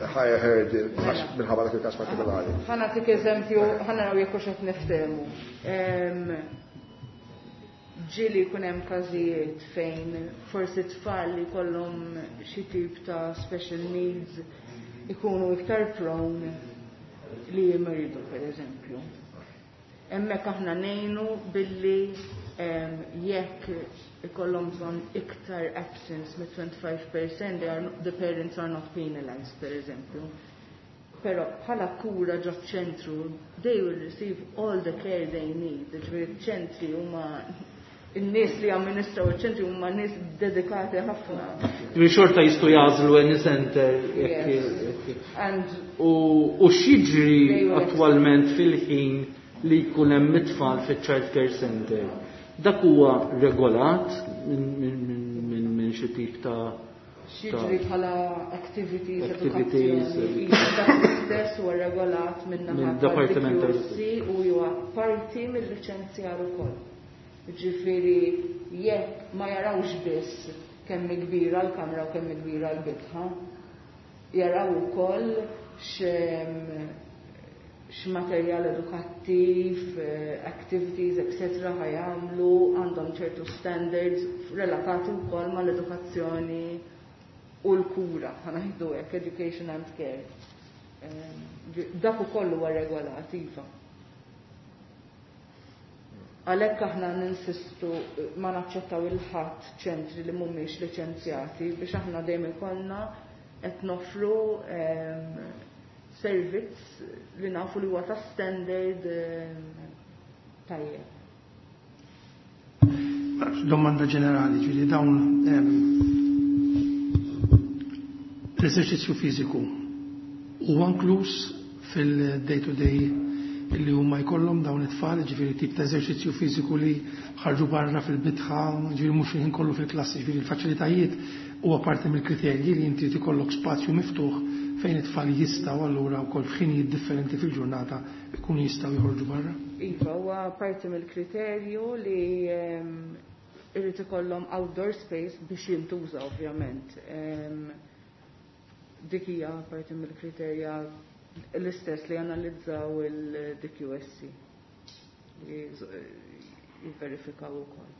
eh, higher hurdle għax minħabba dak il-każ partikolari. Ħa nagħtik eżempju, ħa naraw jekk hux qed niftehmu. Em, Ġieli jkun hemm każijiet fejn forsi tfal li jkollhom xi tip ta' special needs ikunu iktar prone li jimridu, per eżempju. Hemmhekk aħna ngħinu billi em, jekk ikollhom bżonn iktar absence mit twenty-five percent, they are, the parents are not penalized, per eżempju. Però bħala kura ġo ċentru, they will receive all the care they need. Ġifieri ċentri huma, in-nies li amministraw iċ-ċentri huma nies dedikati ħafna. Ġifieri xorta jistgħu jagħżlu any center jekk Yes. jekk- And U u x'jiġri They will attwalment fil-ħin li jkun hemm it-tfal fiċ-child care center? Dak huwa regolat minn min, min, min, min xi tip ta' x'jiġri bħala activities, Activities, edukazzjoni, dak l-istess huwa regolat minn naħa Minn Departiment tal-D Q S C u huwa parti mill-liċenzjar ukoll. Ġifieri jekk ma jarawx biss kemm kbira l-kamra u kemm kbira l-bitħa, jaraw ukoll x'materjal edukattiv, eh, activities, et cetera ħa jagħmlu, għandhom ċertu standards relatati wkoll mal-edukazzjoni u l-kura, ħa ngħidu hekk, education and care. Dak ukoll huwa regolat, iva. Għalhekk aħna ninsistu ma naċċettaw lil ħadd ċentri li mhumiex liċenzjati biex aħna dejjem ikollna qed noffru servizz li nafu li huwa ta' standard tajjeb. Domanda ġenerali, ġifieri dawn l-eżerċizzju fiżiku huwa inkluż fil-day to day li huma jkollhom dawn it-tfal, ġifieri tip ta' eżerċizzju fiżiku li ħarġu barra fil-bitħa, ġifieri mhux il-ħin kollu fil-klassi, ġifieri l-faċilitajiet huwa parti mill-kriterji li inti ikollok spazju miftuħ fejn it-tfal jistgħu allura wkoll f'ħinijiet differenti fil-ġurnata ikunu jistgħu joħorġu barra? Iva, huwa parti mill-kriterju li irrid ikollhom outdoor space biex jintuża, ovvjament. Dik hija parti mill-kriterja l-istess li analizzaw il-D Q S C li jivverifikaw ukoll.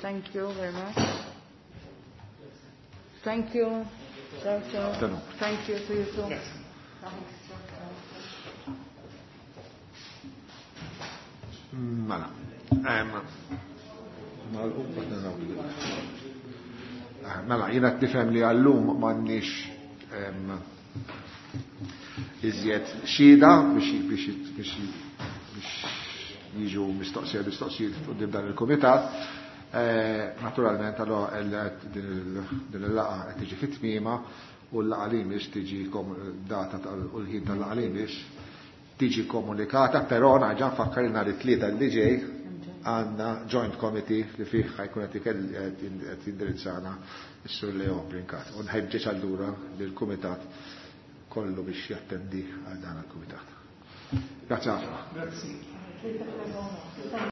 Thank you very much. Thank you. Ciao, ciao. Thank you to you too. Yes. Thanks. Mela. Em, nagħlqu, Mela, jiena tifhem li għallum m'għandniex iżjed xhieda biex biex biex biex jiġu mistoqsija mistoqsijiet quddiem dan il-kumitat. Eh, naturalment, allora din il-laqgħa qed tiġi fit-tmiema u l-laqgħa li mhix tiġi data u l-ħin tal-laqgħa li mhix tiġi komunikata, però nerġa' nfakkar li nhar it-tlieta li ġej għandna joint committee li fih ħa jkun qed jindirizzana s-Sur Leo Brincat. U nħeġġeġ allura lill-kumitat kollu biex jattendi għal dan il-kumitat. Grazie ħafna. Grazie.